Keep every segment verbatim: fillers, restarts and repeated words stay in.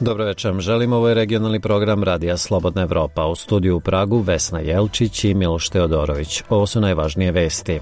Dobro večer, želim, ovo je regionalni program Radija Slobodna Evropa. U studiju u Pragu Vesna Jelčić i Miloš Teodorović. Ovo su najvažnije vesti.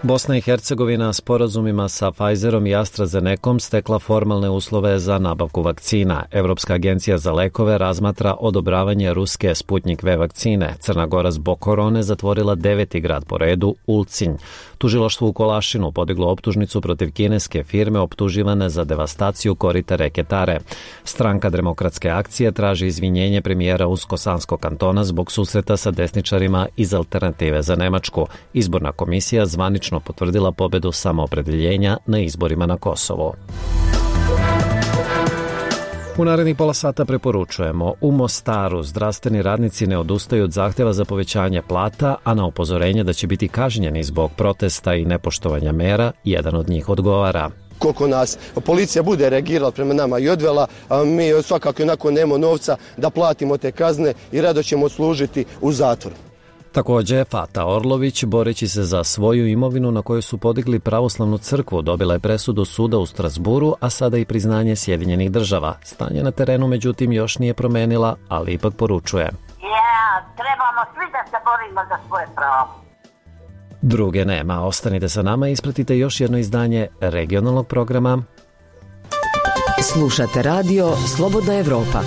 Bosna i Hercegovina sporazumima sa Pfizerom i AstraZenecom stekla formalne uslove za nabavku vakcina. Evropska agencija za lekove razmatra odobravanje ruske Sputnik V vakcine. Crna Gora zbog korone zatvorila deveti grad po redu, Ulcinj. Tužilaštvo u Kolašinu podiglo optužnicu protiv kineske firme optuživane za devastaciju korita reke Tare. Stranka Demokratske akcije traži izvinjenje premijera Usko-Sanskog kantona zbog susreta sa desničarima iz Alternative za Nemačku. Izborna komisija zvanično potvrdila pobedu samoopredeljenja na izborima na Kosovo. U narednih pola sata preporučujemo: u Mostaru zdravstveni radnici ne odustaju od zahteva za povećanje plata, a na upozorenje da će biti kažnjeni zbog protesta i nepoštovanja mera, jedan od njih odgovara. Koliko nas policija bude reagirala prema nama i odvela, a mi svakako onako nemamo novca da platimo te kazne i rado ćemo služiti u zatvoru. Također, Fata Orlović, boreći se za svoju imovinu na kojoj su podigli pravoslavnu crkvu, dobila je presudu suda u Strasburu, a sada i priznanje Sjedinjenih država. Stanje na terenu, međutim, još nije promenila, ali ipak poručuje: Ja, trebamo svi da se borimo za svoje pravo. Druge nema. Ostanite sa nama i ispratite još jedno izdanje regionalnog programa. Slušate radio Slobodna Evropa.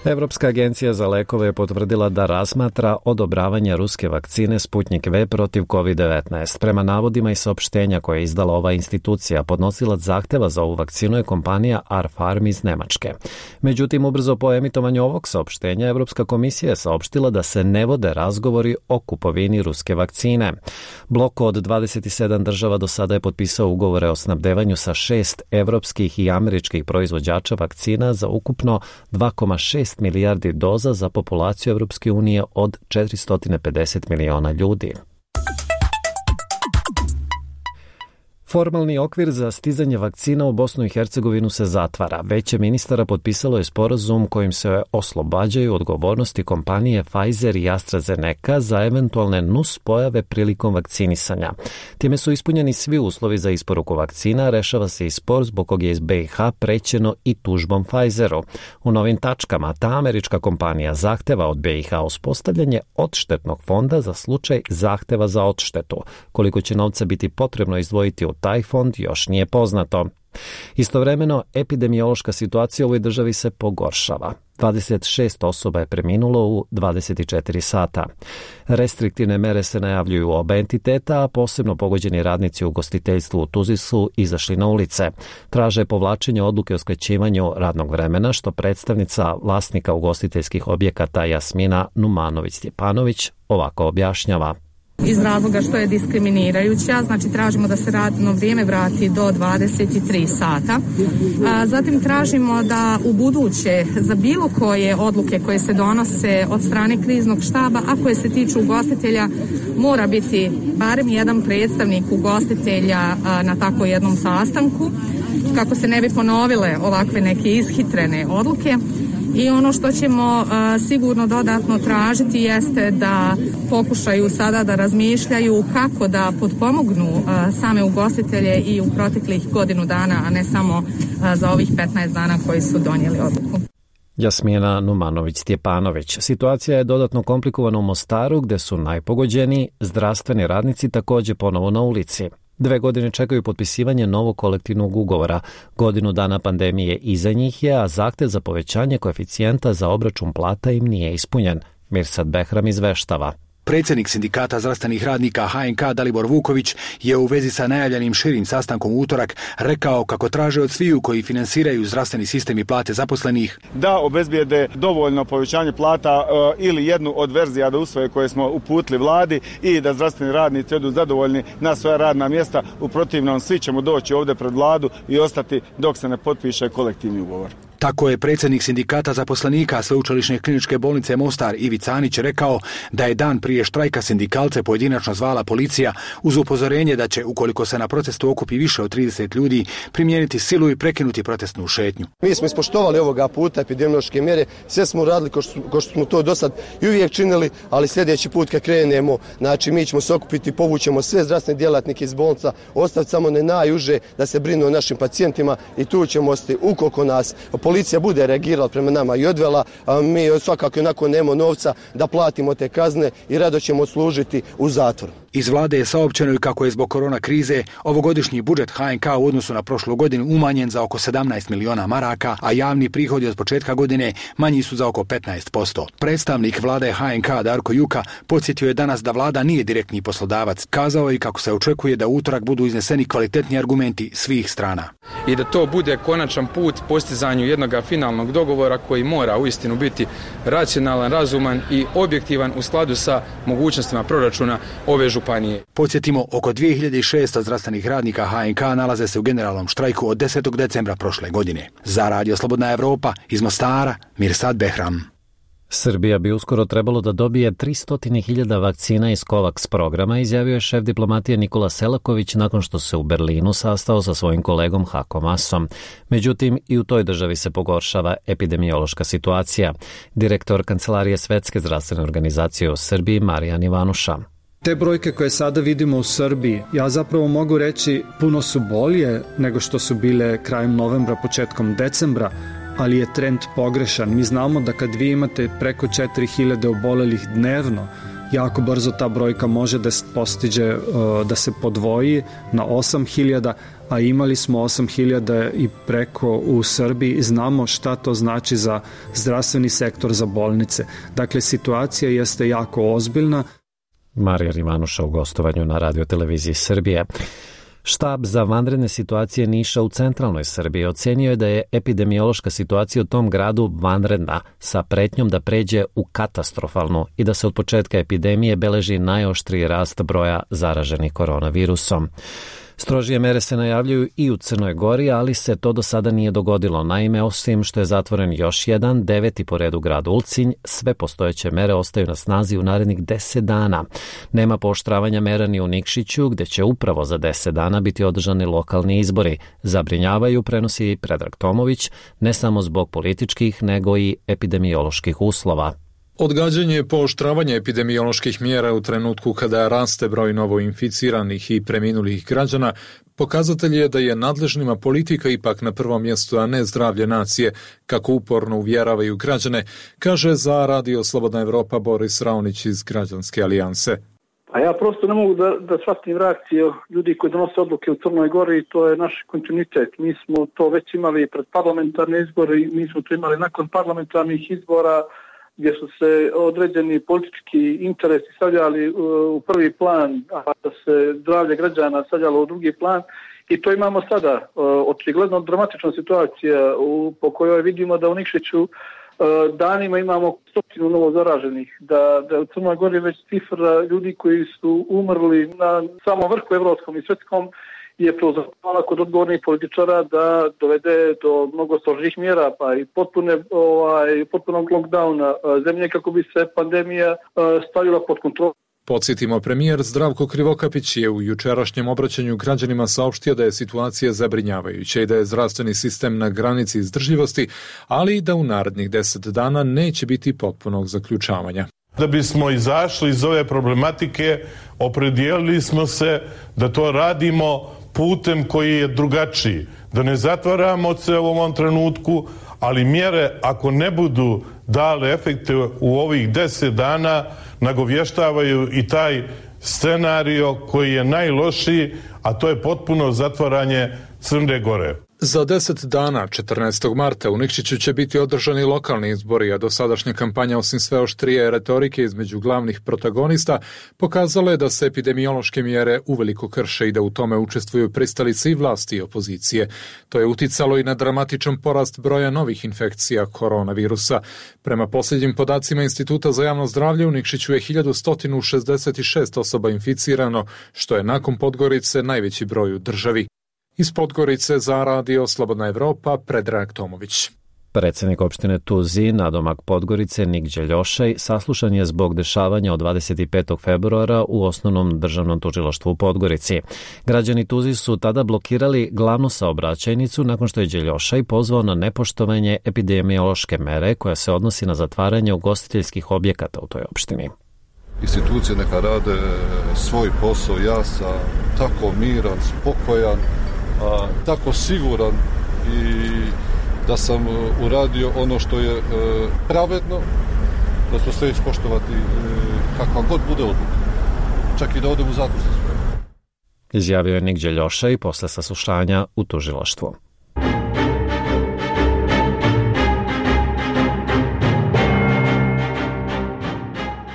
Evropska agencija za lekove je potvrdila da razmatra odobravanje ruske vakcine Sputnik V protiv kovid devetnaest. Prema navodima i saopštenja koje je izdala ova institucija, podnosilac zahteva za ovu vakcinu je kompanija R-Farm iz Nemačke. Međutim, ubrzo po emitovanju ovog saopštenja, Evropska komisija je saopštila da se ne vode razgovori o kupovini ruske vakcine. Blok od dvadeset sedam država do sada je potpisao ugovore o snabdevanju sa šest evropskih i američkih proizvođača vakcina za ukupno dva zarez šest milijardi doza za populaciju Evropske unije od četiristo pedeset miliona ljudi. Formalni okvir za stizanje vakcina u Bosnu i Hercegovinu se zatvara. Veće ministara potpisalo je sporazum kojim se oslobađaju odgovornosti kompanije Pfizer i AstraZeneca za eventualne nus pojave prilikom vakcinisanja. Time su ispunjeni svi uslovi za isporuku vakcina, rešava se i spor zbog kog je iz B i H prećeno i tužbom Pfizeru. U novim tačkama ta američka kompanija zahteva od B i H uspostavljanje odštetnog fonda za slučaj zahteva za odštetu. Koliko će novca biti potrebno izdvojiti u taj fond još nije poznato. Istovremeno, epidemiološka situacija u ovoj državi se pogoršava. dvadeset šest osoba je preminulo u dvadeset četiri sata. Restriktivne mere se najavljuju u oba entiteta, a posebno pogođeni radnici u ugostiteljstvu u Tuzli su izašli na ulice. Traže povlačenje odluke o skraćivanju radnog vremena, što predstavnica vlasnika ugostiteljskih objekata Jasmina Numanović-Stjepanović ovako objašnjava. Iz razloga što je diskriminirajuća, znači tražimo da se radno vrijeme vrati do dvadeset tri sata. A, zatim tražimo da u buduće za bilo koje odluke koje se donose od strane kriznog štaba, a koje se tiču ugostitelja, mora biti barem jedan predstavnik ugostitelja a, na tako jednom sastanku, kako se ne bi ponovile ovakve neke ishitrene odluke. I ono što ćemo uh, sigurno dodatno tražiti jeste da pokušaju sada da razmišljaju kako da potpomognu uh, same ugostitelje i u proteklih godinu dana, a ne samo uh, za ovih petnaest dana koji su donijeli odluku. Jasmina Numanović-Stjepanović. Situacija je dodatno komplikovana u Mostaru, gde su najpogođeniji zdravstveni radnici također ponovo na ulici. Dve godine čekaju potpisivanje novog kolektivnog ugovora. Godinu dana pandemije iza njih je, a zahtev za povećanje koeficijenta za obračun plata im nije ispunjen. Mirsad Behram izveštava. Predsjednik sindikata zdravstvenih radnika H N K Dalibor Vuković je u vezi sa najavljenim širim sastankom u utorak rekao kako traže od sviju koji finansiraju zdravstveni sistem i plate zaposlenih da obezbijede dovoljno povećanje plata uh, ili jednu od verzija da usvoje koje smo uputili vladi i da zdravstveni radnici odu zadovoljni na svoja radna mjesta. U protivnom svi ćemo doći ovdje pred vladu i ostati dok se ne potpiše kolektivni ugovor. Tako je predsjednik sindikata zaposlenika Sveučilišne kliničke bolnice Mostar Ivica Anić rekao da je dan prije štrajka sindikalce pojedinačno zvala policija uz upozorenje da će, ukoliko se na protestu okupi više od trideset ljudi, primijeniti silu i prekinuti protestnu šetnju. Mi smo ispoštovali ovoga puta epidemiološke mjere, sve smo radili ko što, ko što smo to do sad i uvijek činili, ali sljedeći put kad krenemo, znači mi ćemo se okupiti, povućemo sve zdravstvene djelatnike iz bolnica, ostaviti samo ne najuže da se brinu o našim pacijentima i tu ćemo ostati ukoliko nas policija bude reagirala prema nama i odvela, a mi svakako onako nemamo novca da platimo te kazne i rado ćemo odslužiti u zatvoru. Iz vlade je saopćeno i kako je zbog korona krize ovogodišnji budžet H N K u odnosu na prošlu godinu umanjen za oko sedamnaest miliona maraka, a javni prihodi od početka godine manji su za oko petnaest posto. Predstavnik vlade H N K Darko Juka podsjetio je danas da vlada nije direktni poslodavac. Kazao je kako se očekuje da u utorak budu izneseni kvalitetni argumenti svih strana. I da to bude konačan put postizanju jednog finalnog dogovora koji mora uistinu biti racionalan, razuman i objektivan u skladu sa mogućnostima proračuna ove županije. Podsjetimo, oko dvije hiljade šesto zdravstvenih radnika H N K nalaze se u generalnom štrajku od desetog decembra prošle godine. Za Radio Slobodna Evropa iz Mostara, Mirsad Behram. Srbija bi uskoro trebalo da dobije tristo hiljada vakcina iz COVAX programa, izjavio je šef diplomatije Nikola Selaković nakon što se u Berlinu sastao sa svojim kolegom Hako Masom. Međutim, i u toj državi se pogoršava epidemiološka situacija. Direktor Kancelarije Svetske zdravstvene organizacije u Srbiji Marijan Ivanuša. Te brojke koje sada vidimo u Srbiji, ja zapravo mogu reći puno su bolje nego što su bile krajem novembra, početkom decembra, ali je trend pogrešan. Mi znamo da kad vi imate preko četiri hiljade obolelih dnevno, jako brzo ta brojka može da postiže, da se podvoji na osam hiljada, a imali smo osam hiljada i preko u Srbiji. Znamo šta to znači za zdravstveni sektor, za bolnice. Dakle, situacija jeste jako ozbiljna. Marijan Ivanuša u gostovanju na radioteleviziji Srbije. Štab za vanredne situacije Niša u centralnoj Srbiji ocenio je da je epidemiološka situacija u tom gradu vanredna, sa pretnjom da pređe u katastrofalnu i da se od početka epidemije beleži najoštriji rast broja zaraženih koronavirusom. Strožije mere se najavljuju i u Crnoj Gori, ali se to do sada nije dogodilo. Naime, osim što je zatvoren još jedan, deveti po redu grad Ulcinj, sve postojeće mere ostaju na snazi u narednih deset dana. Nema pooštravanja mera ni u Nikšiću, gde će upravo za deset dana biti održani lokalni izbori. Zabrinjavaju, prenosi Predrag Tomović, ne samo zbog političkih, nego i epidemioloških uslova. Odgađanje pooštravanja epidemioloških mjera u trenutku kada raste broj novoinficiranih i preminulih građana pokazatelj je da je nadležnima politika ipak na prvom mjestu, a ne zdravlje nacije, kako uporno uvjeravaju građane, kaže za Radio Slobodna Evropa Boris Raonić iz Građanske alijanse. A ja prosto ne mogu da, da shvatim reakciju ljudi koji donose odluke u Crnoj Gori i to je naš kontinuitet. Mi smo to već imali pred parlamentarne izbore i mi smo to imali nakon parlamentarnih izbora, gdje su se određeni politički interesi stavljali u prvi plan, a da se zdravlje građana stavljalo u drugi plan. I to imamo sada. Očigledno dramatična situacija po kojoj vidimo da u Nikšiću danima imamo stotinu novo zaraženih, da, da u Crnoj Gori već cifra ljudi koji su umrli na samom vrhu evropskom i svjetskom je prozvala kod odgovornih političara da dovede do mnogo strožih mjera, pa i potpune, ovaj, potpunog lockdowna zemlje kako bi se pandemija stavila pod kontrolu. Podsjetimo, premijer Zdravko Krivokapić je u jučerašnjem obraćanju građanima saopštio da je situacija zabrinjavajuća i da je zdravstveni sistem na granici izdržljivosti, ali i da u narednih deset dana neće biti potpunog zaključavanja. Da bismo izašli iz ove problematike, opredijelili smo se da to radimo putem koji je drugačiji, da ne zatvaramo se u ovom trenutku, ali mjere ako ne budu dale efekte u ovih deset dana, nagovještavaju i taj scenario koji je najlošiji, a to je potpuno zatvaranje Crne Gore. Za deset dana, četrnaestog marta, u Nikšiću će biti održani lokalni izbori, a dosadašnja kampanja, osim sve oštrije retorike između glavnih protagonista, pokazala je da se epidemiološke mjere uveliko krše i da u tome učestvuju pristalice i vlasti i opozicije. To je uticalo i na dramatičan porast broja novih infekcija koronavirusa. Prema posljednjim podacima Instituta za javno zdravlje, u Nikšiću je hiljadu sto šezdeset šest osoba inficirano, što je nakon Podgorice najveći broj u državi. Iz Podgorice za Radio Slobodna Evropa, Predrag Tomović. Predsjednik opštine Tuzi, nadomak Podgorice, Nik Đeljošaj, saslušan je zbog dešavanja od dvadeset petog februara u Osnovnom državnom tužilaštvu u Podgorici. Građani Tuzi su tada blokirali glavnu saobraćajnicu nakon što je Đeljošaj pozvao na nepoštovanje epidemiološke mere koja se odnosi na zatvaranje ugostiteljskih objekata u toj opštini. Institucije neka rade svoj posao, ja sam tako miran, spokojan, a, tako siguran i da sam uradio ono što je e, pravedno, da ću sve ispoštovati e, kakva god bude odluka, čak i da odem u zatvor sa svojom. Izjavio je Nik Đeljošaj posle saslušanja u tužilaštvu.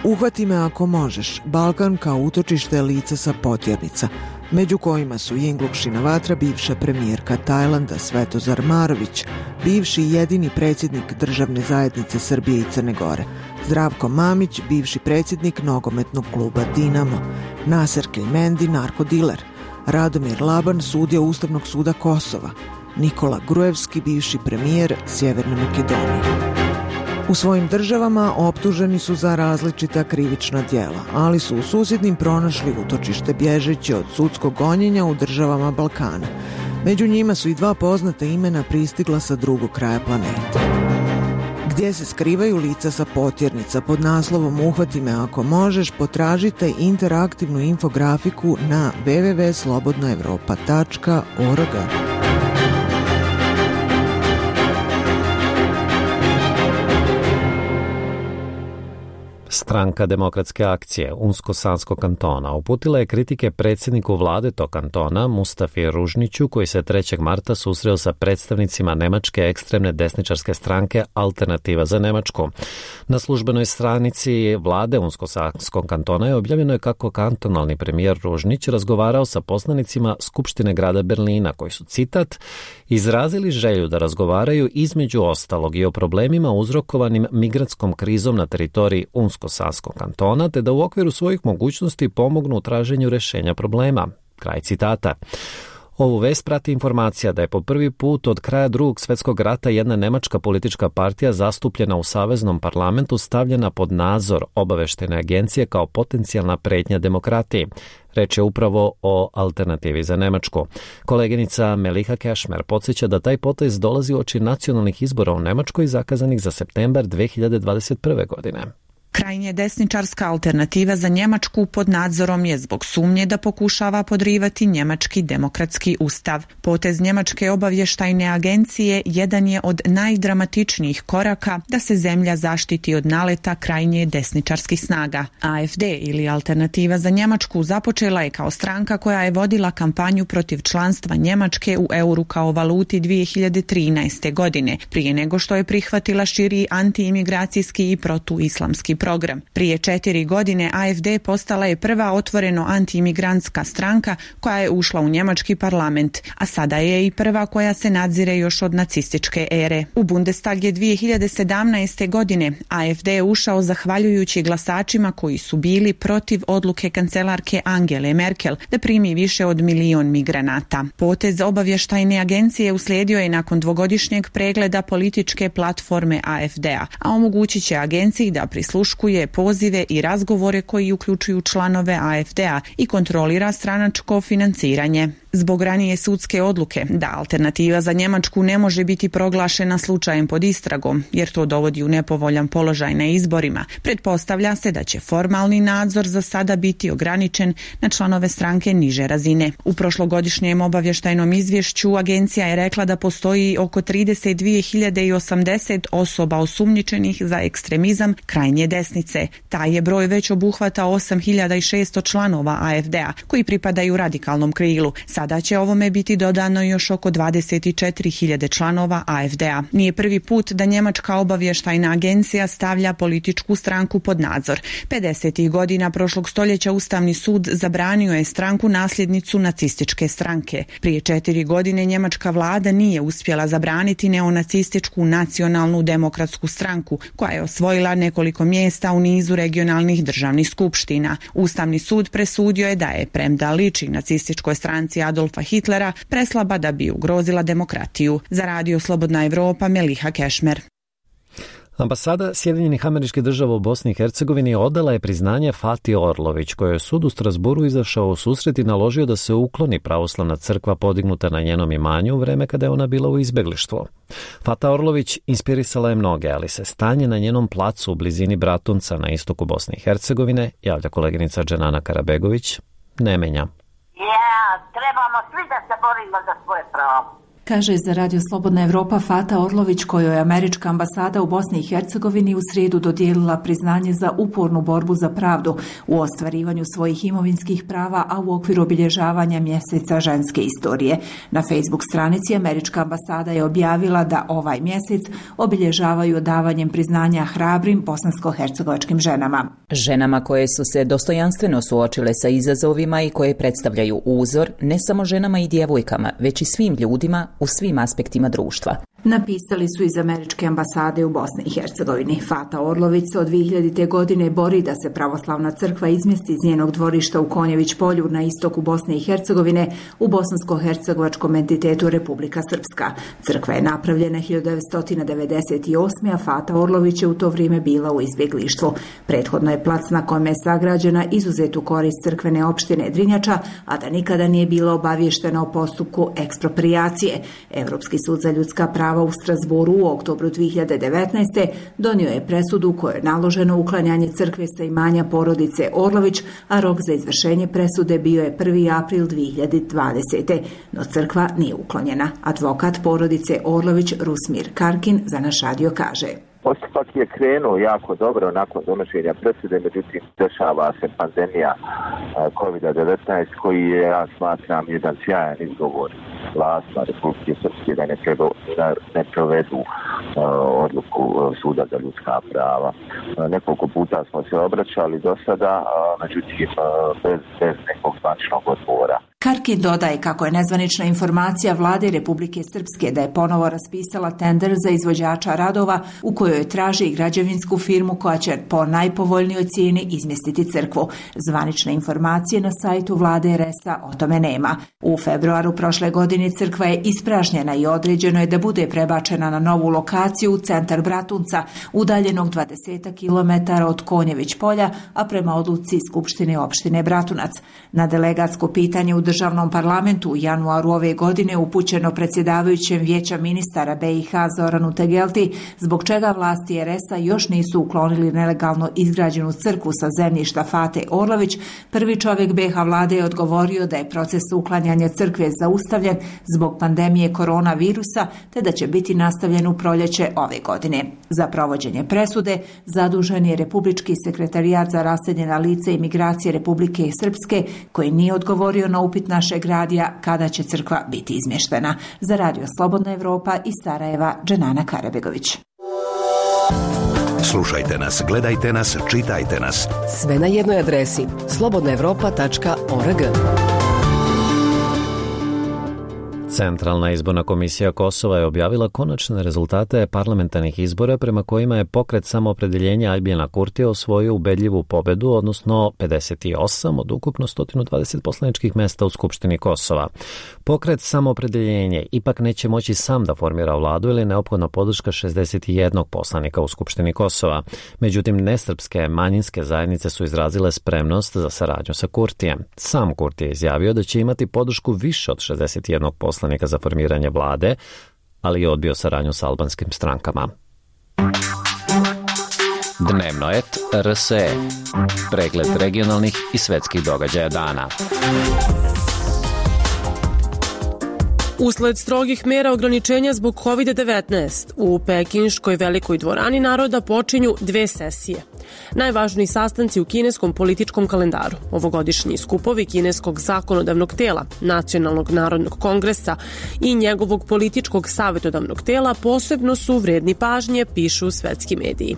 Uhvati me ako možeš, Balkan kao utočište lica sa potjernica, među kojima su Jinglukšina vatra, bivša premijerka Tajlanda Svetozar Marović, bivši i jedini predsjednik državne zajednice Srbije i Crne Gore, Zdravko Mamić, bivši predsjednik nogometnog kluba Dinamo, Naser Keljmendi, narkodiler, Radomir Laban, sudija Ustavnog suda Kosova, Nikola Grujevski, bivši premijer Sjeverne Makedonije. U svojim državama optuženi su za različita krivična djela, ali su u susjednim pronašli utočište bježeći od sudskog gonjenja u državama Balkana. Među njima su i dva poznata imena pristigla sa drugog kraja planete. Gdje se skrivaju lica sa potjernica pod naslovom Uhvati me ako možeš, potražite interaktivnu infografiku na w w w tačka slobodna evropa tačka org. Stranka demokratske akcije Unsko-Sanskog kantona uputila je kritike predsjedniku vlade tog kantona Mustafi Ružniću, koji se trećeg marta susreo sa predstavnicima nemačke ekstremne desničarske stranke Alternativa za Nemačku. Na službenoj stranici vlade Unsko-Sanskog kantona je objavljeno je kako kantonalni premijer Ružnić razgovarao sa poslanicima Skupštine grada Berlina, koji su, citat, izrazili želju da razgovaraju između ostalog i o problemima uzrokovanim migrantskom krizom na teritoriji Unsko-Sanskog kantona, te da u okviru svojih mogućnosti pomognu u traženju rješenja problema. Kraj citata. Ovu vest prati informacija da je po prvi put od kraja drugog svjetskog rata jedna nemačka politička partija zastupljena u Saveznom parlamentu stavljena pod nadzor obavještajne agencije kao potencijalna pretnja demokratiji. Reč je upravo o Alternativi za Nemačku. Koleginica Meliha Kešmer podsjeća da taj potez dolazi uoči nacionalnih izbora u Nemačkoj zakazanih za septembar dve hiljade dvadeset prve. godine. Krajnje desničarska Alternativa za Njemačku pod nadzorom je zbog sumnje da pokušava podrivati njemački demokratski ustav. Potez Njemačke obavještajne agencije jedan je od najdramatičnijih koraka da se zemlja zaštiti od naleta krajnje desničarskih snaga. A F D ili Alternativa za Njemačku započela je kao stranka koja je vodila kampanju protiv članstva Njemačke u euru kao valuti dvije hiljade trinaeste. godine, prije nego što je prihvatila širi antiimigracijski i protuislamski program. Prije četiri godine A F D postala je prva otvoreno antiimigrantska stranka koja je ušla u njemački parlament, a sada je i prva koja se nadzire još od nacističke ere. U Bundestag je dvije hiljade sedamnaeste. godine A F D ušao zahvaljujući glasačima koji su bili protiv odluke kancelarke Angele Merkel da primi više od milion migranata. Potez obavještajne agencije uslijedio je nakon dvogodišnjeg pregleda političke platforme A F D-a, a omogućit će agenciji da prisluškuje pozive i razgovore koji uključuju članove A F D-a i kontrolira stranačko financiranje. Zbog ranije sudske odluke da Alternativa za Njemačku ne može biti proglašena slučajem pod istragom, jer to dovodi u nepovoljan položaj na izborima, pretpostavlja se da će formalni nadzor za sada biti ograničen na članove stranke niže razine. U prošlogodišnjem obavještajnom izvješću agencija je rekla da postoji oko trideset dvije hiljade osamdeset osoba osumnjičenih za ekstremizam krajnje desnice. Taj je broj već obuhvata osam hiljada šesto članova A F D-a koji pripadaju radikalnom krilu. Sada će ovome biti dodano još oko dvadeset četiri hiljade članova A F D-a. Nije prvi put da njemačka obavještajna agencija stavlja političku stranku pod nadzor. pedesetih godina prošlog stoljeća Ustavni sud zabranio je stranku nasljednicu nacističke stranke. Prije četiri godine njemačka vlada nije uspjela zabraniti neonacističku nacionalnu demokratsku stranku, koja je osvojila nekoliko mjesta u nizu regionalnih državnih skupština. Ustavni sud presudio je da je, premda liči nacističkoj stranci Adolfa Hitlera preslaba da bi ugrozila demokratiju. Za radio Slobodna Evropa, Meliha Kešmer. Ambasada Sjedinjenih Američkih Država u Bosni i Hercegovini odala je priznanje Fati Orlović, kojoj je sud u Strasburu izašao u susret i naložio da se ukloni pravoslavna crkva podignuta na njenom imanju u vreme kada je ona bila u izbeglištvu. Fata Orlović inspirisala je mnoge, ali se stanje na njenom placu u blizini Bratunca na istoku Bosne i Hercegovine, javlja koleginica Dženana Karabegović, ne menja. Ja, trebamo svi da se borimo za svoje pravo. Kaže za radio Slobodna Evropa Fata Orlović, kojoj je američka ambasada u Bosni i Hercegovini u srijedu dodijelila priznanje za upornu borbu za pravdu u ostvarivanju svojih imovinskih prava, a u okviru obilježavanja mjeseca ženske istorije. Na Facebook stranici američka ambasada je objavila da ovaj mjesec obilježavaju odavanjem priznanja hrabrim bosansko-hercegovačkim ženama. Ženama koje su se dostojanstveno suočile sa izazovima i koje predstavljaju uzor ne samo ženama i djevojkama, već i svim ljudima u svim aspektima društva. Napisali su iz američke ambasade u Bosni i Hercegovini. Fata Orlović se od dvije hiljadite. godine bori da se pravoslavna crkva izmjesti iz njenog dvorišta u Konjević polju na istoku Bosne i Hercegovine u bosansko-hercegovačkom entitetu Republika Srpska. Crkva je napravljena hiljadu devetsto devedeset osme. a Fata Orlović je u to vrijeme bila u izbjeglištvu. Prethodno je plac na kojem je sagrađena izuzet u korist crkvene opštine Drinjača, a da nikada nije bila obavještena o postupku eksproprijacije. Europski sud za ljudska prava u Strasburu u oktobru dvije hiljade devetnaeste. donio je presudu kojoj je naloženo uklanjanje crkve sa imanja porodice Orlović, a rok za izvršenje presude bio je prvi april dvije hiljade dvadesete. No crkva nije uklonjena. Advokat porodice Orlović Rusmir Karkin za naš radio kaže: Postupak je krenuo jako dobro nakon donošenja presude, međutim dešava se pandemija kovid devetnaest koji je, ja smatram, jedan sjajan izgovor vlastima Republike Srpske da ne, treba, da ne provedu uh, odluku uh, Suda za ljudska prava. Uh, nekoliko puta smo se obraćali do sada, uh, međutim uh, bez, bez nekog zvaničnog odgovora. Karkin dodaje kako je nezvanična informacija vlade Republike Srpske da je ponovo raspisala tender za izvođača radova u kojoj traži građevinsku firmu koja će po najpovoljnijoj cijeni izmjestiti crkvu. Zvanične informacije na sajtu vlade R S A o tome nema. U februaru prošle godine crkva je ispražnjena i određeno je da bude prebačena na novu lokaciju u centar Bratunca, udaljenog dvadeset kilometara od Konjević polja, a prema odluci Skupštine opštine Bratunac. Na delegatsko pitanje u državnom parlamentu u januaru ove godine upućeno predsjedavajućem vijeća ministara B i H Zoranu Tegelti, zbog čega vlasti R S A još nisu uklonili nelegalno izgrađenu crkvu sa zemljišta Fate Orlović, prvi čovjek B H vlade je odgovorio da je proces uklanjanja crkve zaustavljen zbog pandemije koronavirusa, te da će biti nastavljen u proljeće ove godine. Za provođenje presude zadužen je Republički sekretarijat za raseljena lica i migracije Republike Srpske, koji nije odgovorio na upit našeg radija kada će crkva biti izmještena. Za radio Slobodna Evropa iz Sarajeva, Dženana Karabegović. Slušajte nas, gledajte nas, čitajte nas. Sve na jednoj adresi slobodna evropa tačka org. Centralna izborna komisija Kosova je objavila konačne rezultate parlamentarnih izbora prema kojima je pokret Samoopredeljenja Aljbina Kurtija osvojio ubedljivu pobedu, odnosno pedeset osam od ukupno sto dvadeset poslaničkih mesta u Skupštini Kosova. Pokret Samoopredeljenje ipak neće moći sam da formira vladu ili je neophodna podrška šezdeset jedan poslanika u Skupštini Kosova. Međutim, nesrpske manjinske zajednice su izrazile spremnost za saradnju sa Kurtijem. Sam Kurtije je izjavio da će imati podršku više od šezdeset jedan poslanika za formiranje vlade, ali je odbio saradnju sa albanskim strankama. Dnevnoet R S E. Pregled regionalnih i svetskih događaja dana. Usled strogih mera ograničenja zbog kovid devetnaest, u Pekinškoj velikoj dvorani naroda počinju dve sesije. Najvažniji sastanci u kineskom političkom kalendaru, ovogodišnji skupovi kineskog zakonodavnog tela, Nacionalnog narodnog kongresa i njegovog političkog savjetodavnog tela posebno su vredni pažnje, pišu svetski mediji.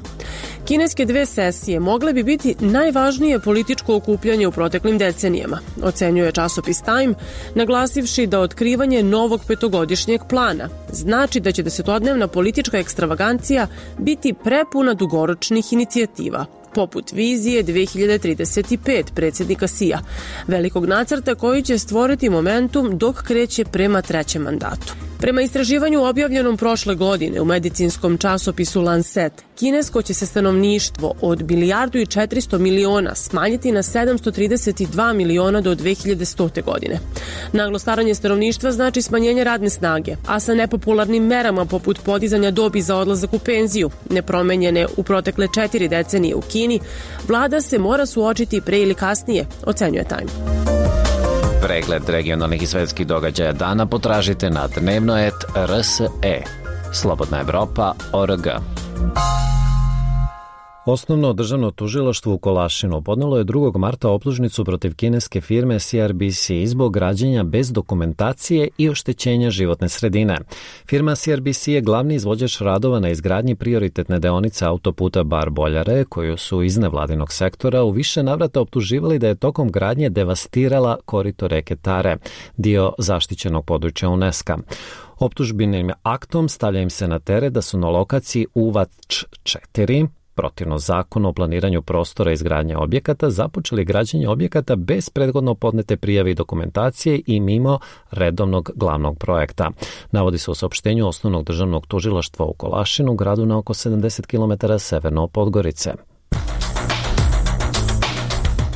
Kineske dve sesije mogle bi biti najvažnije političko okupljanje u proteklim decenijama, ocenjuje časopis Time, naglasivši da otkrivanje novog petogodišnjeg plana znači da će desetodnevna politička ekstravagancija biti prepuna dugoročnih inicijativa, poput vizije dve hiljade trideset pet predsjednika Sija, velikog nacrta koji će stvoriti momentum dok kreće prema trećem mandatu. Prema istraživanju objavljenom prošle godine u medicinskom časopisu Lancet, kinesko će se stanovništvo od milijardu i četiristo miliona smanjiti na sedamsto trideset dva miliona do dve hiljade stote godine. Naglo staranje stanovništva znači smanjenje radne snage, a sa nepopularnim merama poput podizanja dobi za odlazak u penziju, nepromenjene u protekle četiri decenije u Kini, vlada se mora suočiti pre ili kasnije, ocenjuje Time. Pregled regionalnih i svetskih događaja dana potražite na dnevnoet R S E. Slobodna Evropa точка org. Osnovno državno tužilaštvo u Kolašinu podnelo je drugog marta optužnicu protiv kineske firme C R B C zbog građenja bez dokumentacije i oštećenja životne sredine. Firma C R B C je glavni izvođač radova na izgradnji prioritetne deonice autoputa Bar-Boljare, koju su iz nevladinog sektora u više navrata optuživali da je tokom gradnje devastirala korito reke Tare, dio zaštićenog područja UNESCO. Optužbenim aktom stavlja im se na teret da su na lokaciji U V A C četiri, protivno zakonu o planiranju prostora izgradnje objekata, započeli građenje objekata bez prethodno podnete prijave i dokumentacije i mimo redovnog glavnog projekta. Navodi se u saopštenju Osnovnog državnog tužilaštva u Kolašinu, gradu na oko sedamdeset kilometara severno od Podgorice.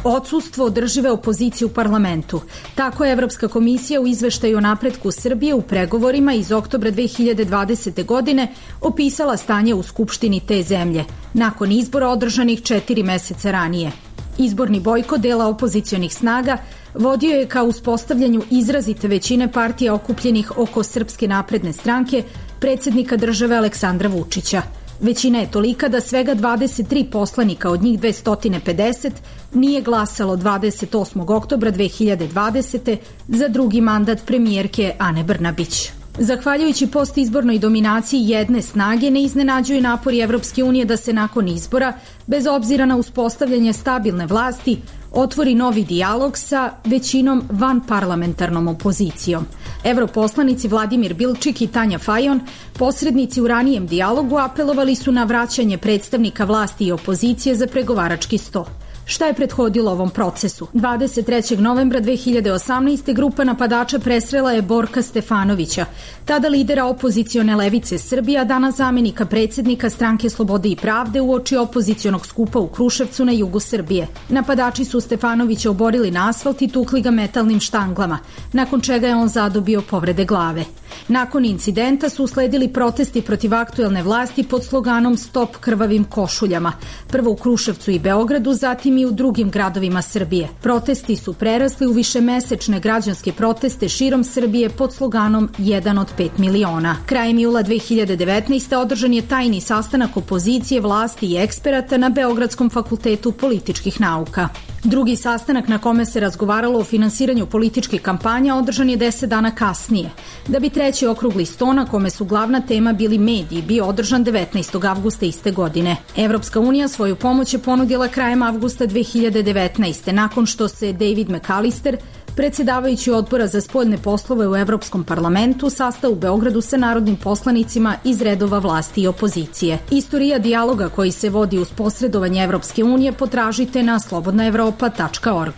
Odsustvo održive opozicije u parlamentu. Tako je Evropska komisija u izveštaju o napretku Srbije u pregovorima iz oktobra dve hiljade dvadesete. godine opisala stanje u Skupštini te zemlje, nakon izbora održanih četiri meseca ranije. Izborni bojkot dela opozicionih snaga vodio je ka uspostavljanju izrazite većine partija okupljenih oko Srpske napredne stranke, predsjednika države Aleksandra Vučića. Većina je tolika da svega dvadeset tri poslanika, od njih dvesta pedeset, nije glasalo dvadeset osmog oktobra dve hiljade dvadesete. za drugi mandat premijerke Ane Brnabić. Zahvaljujući postizbornoj dominaciji jedne snage, ne iznenađuju napori Evropske unije da se nakon izbora, bez obzira na uspostavljanje stabilne vlasti, otvori novi dijalog sa većinom vanparlamentarnom opozicijom. Evroposlanici Vladimir Bilčik i Tanja Fajon, posrednici u ranijem dijalogu, apelovali su na vraćanje predstavnika vlasti i opozicije za pregovarački sto. Šta je prethodilo ovom procesu? dvadeset trećeg novembra dve hiljade osamnaeste. grupa napadača presrela je Borka Stefanovića, tada lidera opozicione levice Srbija, danas zamenika predsjednika Stranke slobode i pravde, uoči opozicionog skupa u Kruševcu na jugu Srbije. Napadači su Stefanovića oborili na asfalt i tukli ga metalnim štanglama, nakon čega je on zadobio povrede glave. Nakon incidenta su usledili protesti protiv aktuelne vlasti pod sloganom Stop krvavim košuljama, prvo u Kruševcu i Beogradu, zatim i u drugim gradovima Srbije. Protesti su prerasli u višemesečne građanske proteste širom Srbije pod sloganom jedan od pet miliona. Krajem jula dve hiljade devetnaeste. održan je tajni sastanak opozicije, vlasti i eksperata na Beogradskom fakultetu političkih nauka. Drugi sastanak na kome se razgovaralo o finansiranju političkih kampanja održan je deset dana kasnije, da bi treći okrugli sto, na kome su glavna tema bili mediji, bio održan devetnaestog avgusta iste godine. Evropska unija svoju pomoć je ponudila krajem avgusta dve hiljade devetnaeste. nakon što se David McAllister, predsjedavajući odbora za spoljne poslove u Evropskom parlamentu, sastao u Beogradu sa narodnim poslanicima iz redova vlasti i opozicije. Istorija dijaloga koji se vodi uz posredovanje Evropske unije potražite na slobodna evropa tačka org.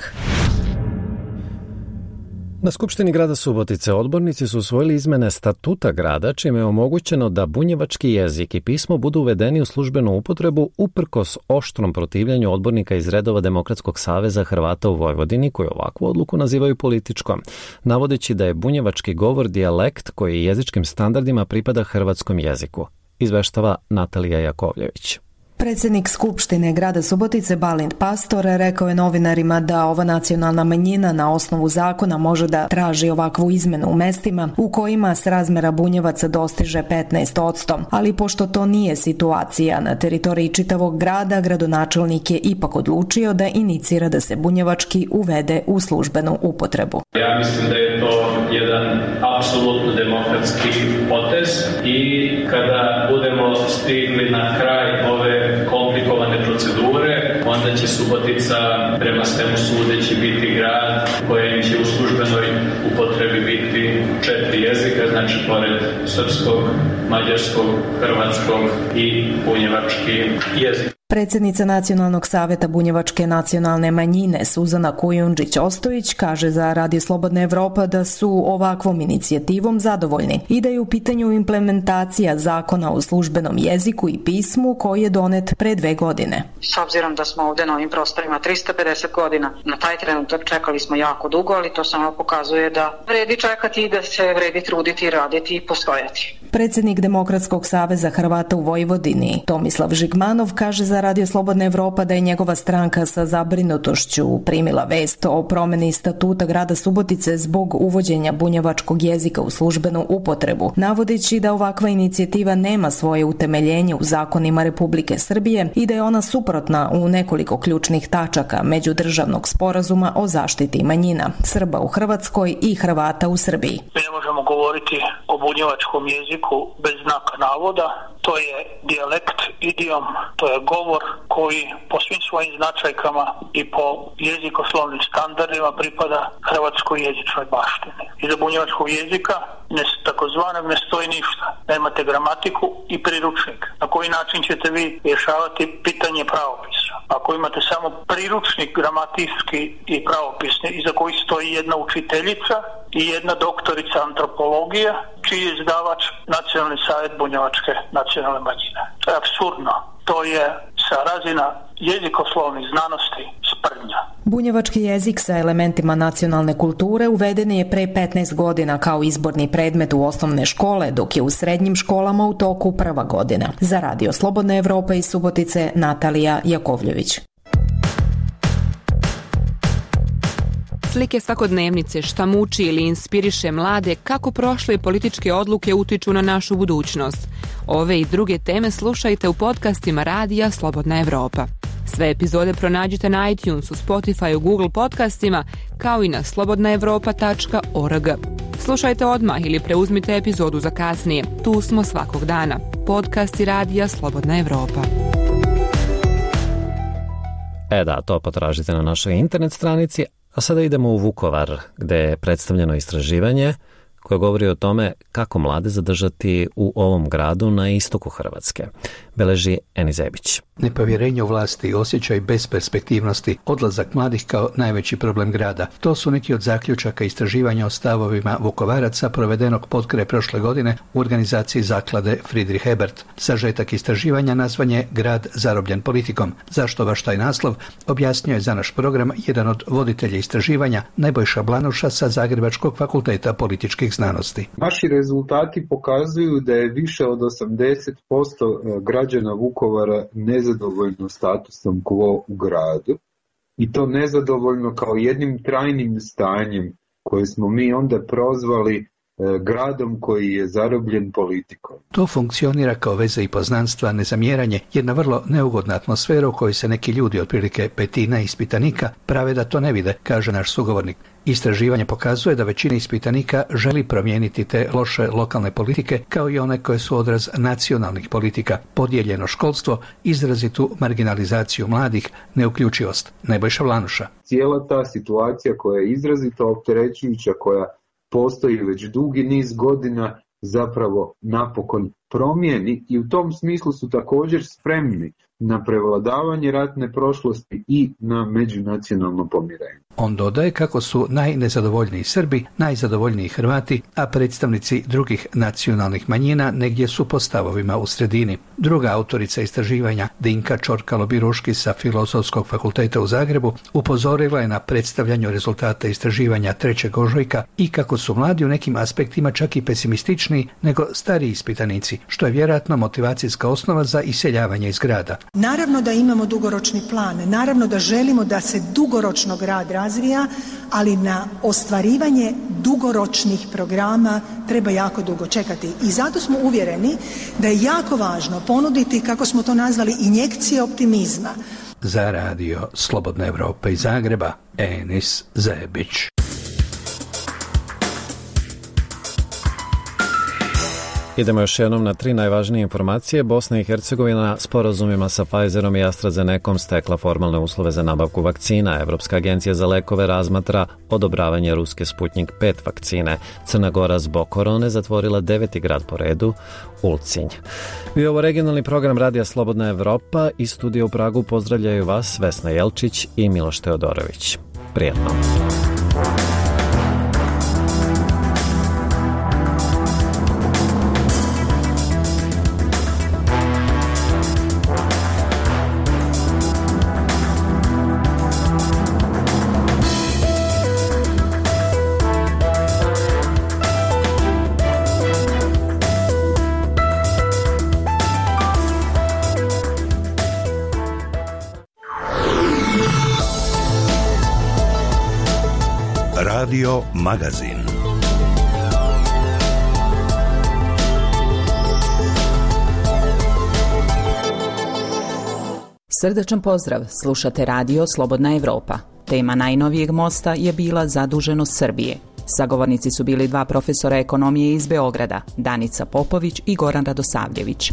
Na Skupštini grada Subotice odbornici su usvojili izmene statuta grada, čime je omogućeno da bunjevački jezik i pismo budu uvedeni u službenu upotrebu uprkos oštrom protivljenju odbornika iz redova Demokratskog saveza Hrvata u Vojvodini, koji ovakvu odluku nazivaju političkom, navodeći da je bunjevački govor dijalekt koji jezičkim standardima pripada hrvatskom jeziku. Izveštava Natalija Jakovljević. Predsjednik Skupštine grada Subotice Balint Pastor rekao je novinarima da ova nacionalna manjina na osnovu zakona može da traži ovakvu izmenu u mestima u kojima srazmera bunjevaca dostiže petnaest posto, ali pošto to nije situacija na teritoriji čitavog grada, gradonačelnik je ipak odlučio da inicira da se bunjevački uvede u službenu upotrebu. Ja mislim da je to jedan apsolutno demokratski potez i kada budemo stigli na kraj ove komplikovane procedure, onda će Subotica prema svemu sudeći biti grad kojem će u službenoj upotrebi biti četiri jezika, znači pored srpskog, mađarskog, hrvatskog i bunjevački jezik. Predsjednica Nacionalnog saveta bunjevačke nacionalne manjine Suzana Kujundžić-Ostojić kaže za Radio Slobodna Evropa da su ovakvom inicijativom zadovoljni i da je u pitanju implementacija zakona o službenom jeziku i pismu koji je donet pre dve godine. S obzirom da smo ovde na ovim prostorima trista pedeset godina, na taj trenutak čekali smo jako dugo, ali to samo pokazuje da vredi čekati i da se vredi truditi, raditi i postojati. Predsjednik Demokratskog saveza Hrvata u Vojvodini Tomislav Žigmanov kaže za Radio Slobodna Evropa da je njegova stranka sa zabrinutošću primila vest o promeni statuta grada Subotice zbog uvođenja bunjevačkog jezika u službenu upotrebu, navodeći da ovakva inicijativa nema svoje utemeljenje u zakonima Republike Srbije i da je ona suprotna u nekoliko ključnih tačaka međudržavnog sporazuma o zaštiti manjina Srba u Hrvatskoj i Hrvata u Srbiji. Mi ne možemo govoriti o bunjevačkom jeziku bez znaka navoda. To je dijalekt, idiom, to je govor koji po svim svojim značajkama i po jezikoslovnim standardima pripada hrvatskoj jezičnoj baštini. Iza bunjevačkog jezika ne, takozvanog ne stoji ništa. Nemate gramatiku i priručnik. Na koji način ćete vi rješavati pitanje pravopisa? Ako imate samo priručnik gramatijski i pravopisni, iza koji stoji jedna učiteljica i jedna doktorica antropologije, čiji je izdavač Nacionalni savjet bunjevačke nacionalne manjine. To je apsurdno. To je sa razina jezikoslovnih znanosti sprdnja. Bunjevački jezik sa elementima nacionalne kulture uveden je pre petnaest godina kao izborni predmet u osnovne škole, dok je u srednjim školama u toku prva godina. Za Radio Slobodna Evropa iz Subotice, Natalija Jakovljević. Slike svakodnevnice, šta muči ili inspiriše mlade, kako prošle političke odluke utiču na našu budućnost. Ove i druge teme slušajte u podcastima Radija Slobodna Evropa. Sve epizode pronađite na iTunesu, Spotifyu, Google podcastima, kao i na slobodna evropa tačka org. Slušajte odmah ili preuzmite epizodu za kasnije. Tu smo svakog dana. Podcasti Radija Slobodna Evropa. E da, to potražite na našoj internet stranici. A sada idemo u Vukovar, gde je predstavljeno istraživanje koje govori o tome kako mlade zadržati u ovom gradu na istoku Hrvatske. Beleži Eni Zebić. Nepovjerenje u vlasti, osjećaj besperspektivnosti, odlazak mladih kao najveći problem grada. To su neki od zaključaka istraživanja o stavovima Vukovaraca provedenog potkraj prošle godine u organizaciji zaklade Friedrich Ebert. Sažetak istraživanja nazvan je Grad zarobljen politikom. Zašto baš taj naslov? Objasnio je za naš program jedan od voditelja istraživanja, Nebojša Blanuša sa Zagrebačkog fakulteta političkih znanosti. Naši rezultati pokazuju da je više od osamdeset posto građana Vukovara nezadovoljno statusom quo u gradu i to nezadovoljno kao jednim trajnim stanjem koje smo mi onda prozvali gradom koji je zarobljen politikom. To funkcionira kao veza i poznanstva, nezamjeranje, jedna vrlo neugodna atmosfera u kojoj se neki ljudi, otprilike petina ispitanika, prave da to ne vide, kaže naš sugovornik. Istraživanje pokazuje da većina ispitanika želi promijeniti te loše lokalne politike kao i one koje su odraz nacionalnih politika, podijeljeno školstvo, izrazitu marginalizaciju mladih, neuključivost. Nebojša Blanuša. Cijela ta situacija koja je izrazito opterećujuća, koja postoji već dugi niz godina, zapravo napokon promijeni i u tom smislu su također spremni na prevladavanje ratne prošlosti i na međunacionalno pomirenje. On dodaje kako su najnezadovoljniji Srbi, najzadovoljniji Hrvati, a predstavnici drugih nacionalnih manjina negdje su po stavovima u sredini. Druga autorica istraživanja, Dinka Čorkalo-Biruški sa Filozofskog fakulteta u Zagrebu, upozorila je na predstavljanju rezultata istraživanja trećeg ožujka i kako su mladi u nekim aspektima čak i pesimističniji nego stariji ispitanici, što je vjerojatno motivacijska osnova za iseljavanje iz grada. Naravno da imamo dugoročni plan, naravno da želimo da se dugoročno grad razvija, ali na ostvarivanje dugoročnih programa treba jako dugo čekati. I zato smo uvjereni da je jako važno ponuditi, kako smo to nazvali, injekcije optimizma. Za Radio Slobodna Evropa iz Zagreba, Enis Zebić. Idemo još jednom na tri najvažnije informacije. Bosna i Hercegovina sporazumima sa Pfizerom i AstraZenecom stekla formalne uslove za nabavku vakcina. Evropska agencija za lekove razmatra odobravanje ruske Sputnik pet vakcine. Crna Gora zbog korone zatvorila deveti grad po redu, Ulcinj. I ovo regionalni program Radija Slobodna Evropa i studija u Pragu pozdravljaju vas Vesna Jelčić i Miloš Teodorović. Prijetno. Radio Magazin. Srdačan pozdrav, slušate Radio Slobodna Evropa. Tema najnovijeg mosta je bila zaduženost Srbije. Sagovornici su bili dva profesora ekonomije iz Beograda, Danica Popović i Goran Radosavljević.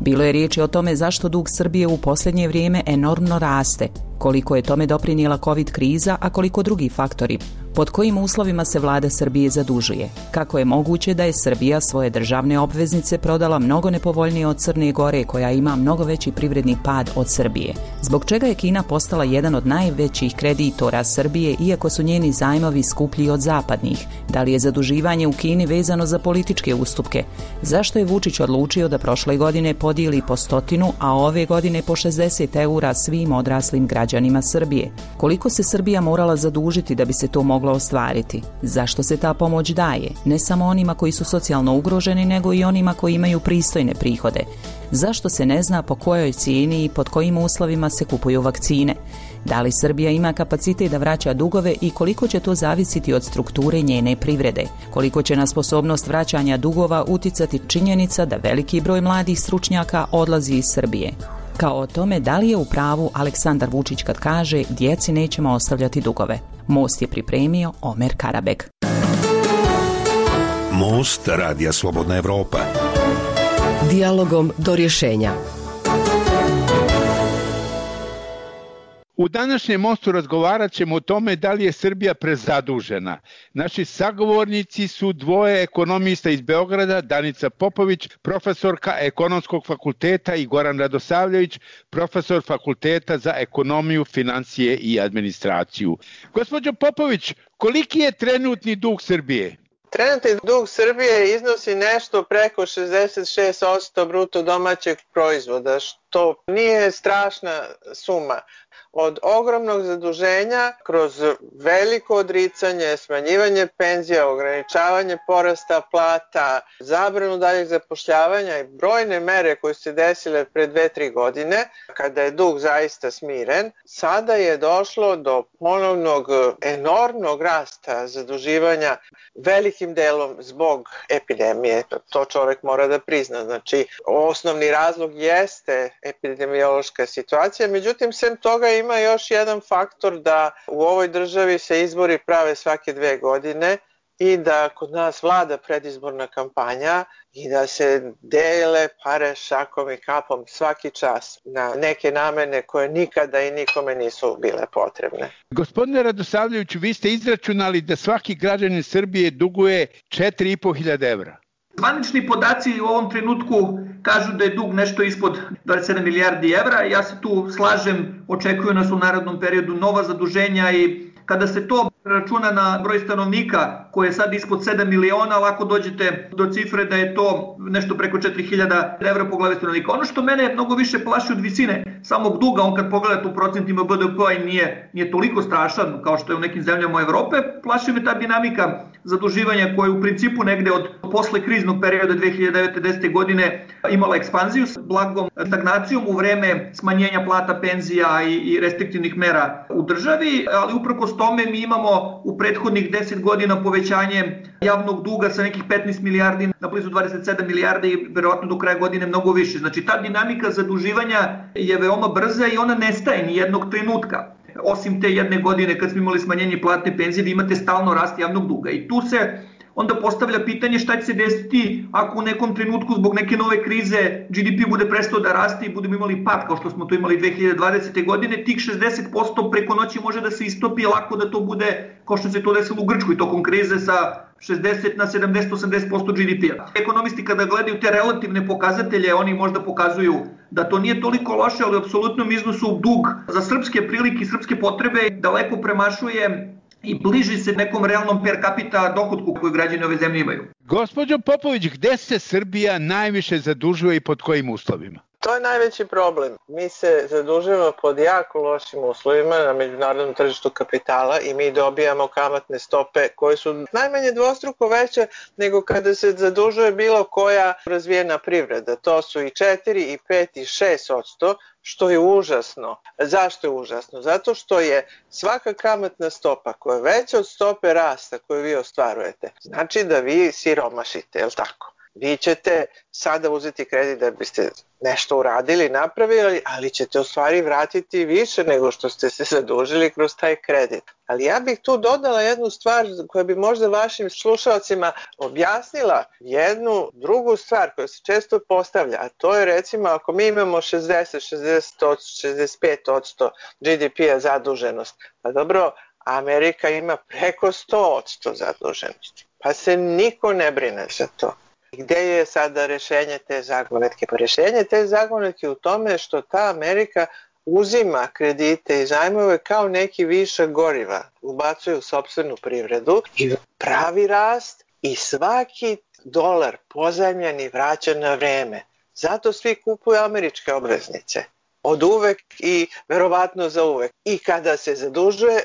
Bilo je riječi o tome zašto dug Srbije u posljednje vrijeme enormno raste, koliko je tome doprinijela COVID kriza, a koliko drugi faktori. Pod kojim uslovima se vlada Srbije zadužuje? Kako je moguće da je Srbija svoje državne obveznice prodala mnogo nepovoljnije od Crne Gore, koja ima mnogo veći privredni pad od Srbije? Zbog čega je Kina postala jedan od najvećih kreditora Srbije, iako su njeni zajmovi skuplji od zapadnih? Da li je zaduživanje u Kini vezano za političke ustupke? Zašto je Vučić odlučio da prošle godine podijeli po stotinu, a ove godine po šezdeset eura svim odraslim građanima Srbije? Koliko se Srbija morala zadužiti da bi se to moglo ostvariti? Zašto se ta pomoć daje? Ne samo onima koji su socijalno ugroženi, nego i onima koji imaju pristojne prihode. Zašto se ne zna po kojoj cijeni i pod kojim uslovima se kupuju vakcine? Da li Srbija ima kapacitet da vraća dugove i koliko će to zavisiti od strukture njene privrede? Koliko će na sposobnost vraćanja dugova uticati činjenica da veliki broj mladih stručnjaka odlazi iz Srbije? Kao o tome da li je u pravu Aleksandar Vučić kad kaže djeci nećemo ostavljati dugove. Most je pripremio Omer Karabeg. Most Radija Slobodna Evropa. Dijalogom do rješenja. U današnjem mostu razgovarat ćemo o tome da li je Srbija prezadužena. Naši sagovornici su dvoje ekonomista iz Beograda, Danica Popović, profesorka Ekonomskog fakulteta, i Goran Radosavljević, profesor Fakulteta za ekonomiju, financije i administraciju. Gospođo Popović, koliki je trenutni dug Srbije? Trenutni dug Srbije iznosi nešto preko šezdeset šest posto bruto domaćeg proizvoda, što nije strašna suma. Od ogromnog zaduženja kroz veliko odricanje, smanjivanje penzija, ograničavanje porasta plata, zabranu daljeg zapošljavanja i brojne mere koje su se desile pre dve, tri godine, kada je dug zaista smiren, sada je došlo do ponovnog enormnog rasta zaduživanja, velikim delom zbog epidemije. To čovjek mora da prizna. Znači, osnovni razlog jeste epidemiološka situacija, međutim, sem toga ima još jedan faktor da u ovoj državi se izbori prave svake dve godine i da kod nas vlada predizborna kampanja i da se dele pare šakom i kapom svaki čas na neke namene koje nikada i nikome nisu bile potrebne. Gospodine Radosavljeviću, vi ste izračunali da svaki građanin Srbije duguje četiri i po hiljade evra. Zvanični podaci u ovom trenutku kažu da je dug nešto ispod dvadeset sedam milijardi evra. Ja se tu slažem, očekuju nas u narednom periodu nova zaduženja i kada se to računa na broj stanovnika koji je sad ispod sedam miliona, lako dođete do cifre da je to nešto preko četiri hiljade evra po glavi stanovnika. Ono što mene mnogo više plaši od visine samog duga, on kad pogledate u procentima B D P-a i nije, nije toliko strašan kao što je u nekim zemljama Evrope, plaši me ta dinamika zaduživanja koja je u principu negde od posle kriznog perioda dve hiljade devete. desete. godine imala ekspanziju s blagom stagnacijom u vreme smanjenja plata, penzija i, i restriktivnih mera u državi, ali uprkos tome mi imamo u prethodnih deset godina povećanje javnog duga sa nekih petnaest milijardi na blizu dvadeset sedam milijardi i verovatno do kraja godine mnogo više. Znači ta dinamika zaduživanja je veoma brza i ona nestaje ni jednog trenutka. Osim te jedne godine kad smo imali smanjenje plate penzije, vi imate stalno rast javnog duga i tu se onda postavlja pitanje šta će se desiti ako u nekom trenutku zbog neke nove krize G D P bude prestao da raste i budemo imali pad kao što smo to imali dve hiljade dvadesete. godine, tih šezdeset posto preko noći može da se istopi lako da to bude kao što se to desilo u Grčkoj tokom krize sa šezdeset na sedamdeset do osamdeset posto G D P-a. Ekonomisti kada gledaju te relativne pokazatelje, oni možda pokazuju da to nije toliko loše, ali u apsolutnom iznosu dug za srpske prilike i srpske potrebe daleko premašuje i bliži se nekom realnom per capita dohotku koju građani ove zemlje imaju. Gospođo Popović, gde se Srbija najviše zadužuje i pod kojim uslovima? To je najveći problem. Mi se zadužujemo pod jako lošim uslovima na međunarodnom tržištu kapitala i mi dobijamo kamatne stope koje su najmanje dvostruko veće nego kada se zadužuje bilo koja razvijena privreda. To su i četiri, i pet, i šest odsto, što je užasno. Zašto je užasno? Zato što je svaka kamatna stopa koja je veća od stope rasta koju vi ostvarujete, znači da vi siromašite, je li tako? Vi ćete sada uzeti kredit da biste nešto uradili, napravili, ali ćete u stvari vratiti više nego što ste se zadužili kroz taj kredit. Ali ja bih tu dodala jednu stvar koja bi možda vašim slušalcima objasnila jednu drugu stvar koja se često postavlja, a to je recimo ako mi imamo šezdeset, šezdeset, šezdeset pet odsto G D P-a zaduženost, pa dobro, Amerika ima preko sto odsto zaduženosti, pa se niko ne brine za to. Gde je sada rešenje te zagonetke? Pa rešenje te zagonetke u tome što ta Amerika uzima kredite i zajmove kao neki višak goriva, ubacuje u sopstvenu privredu i pravi rast i svaki dolar pozajmljeni vraća na vreme. Zato svi kupuju američke obveznice. Od uvek i verovatno za uvek. I kada se zadužuje,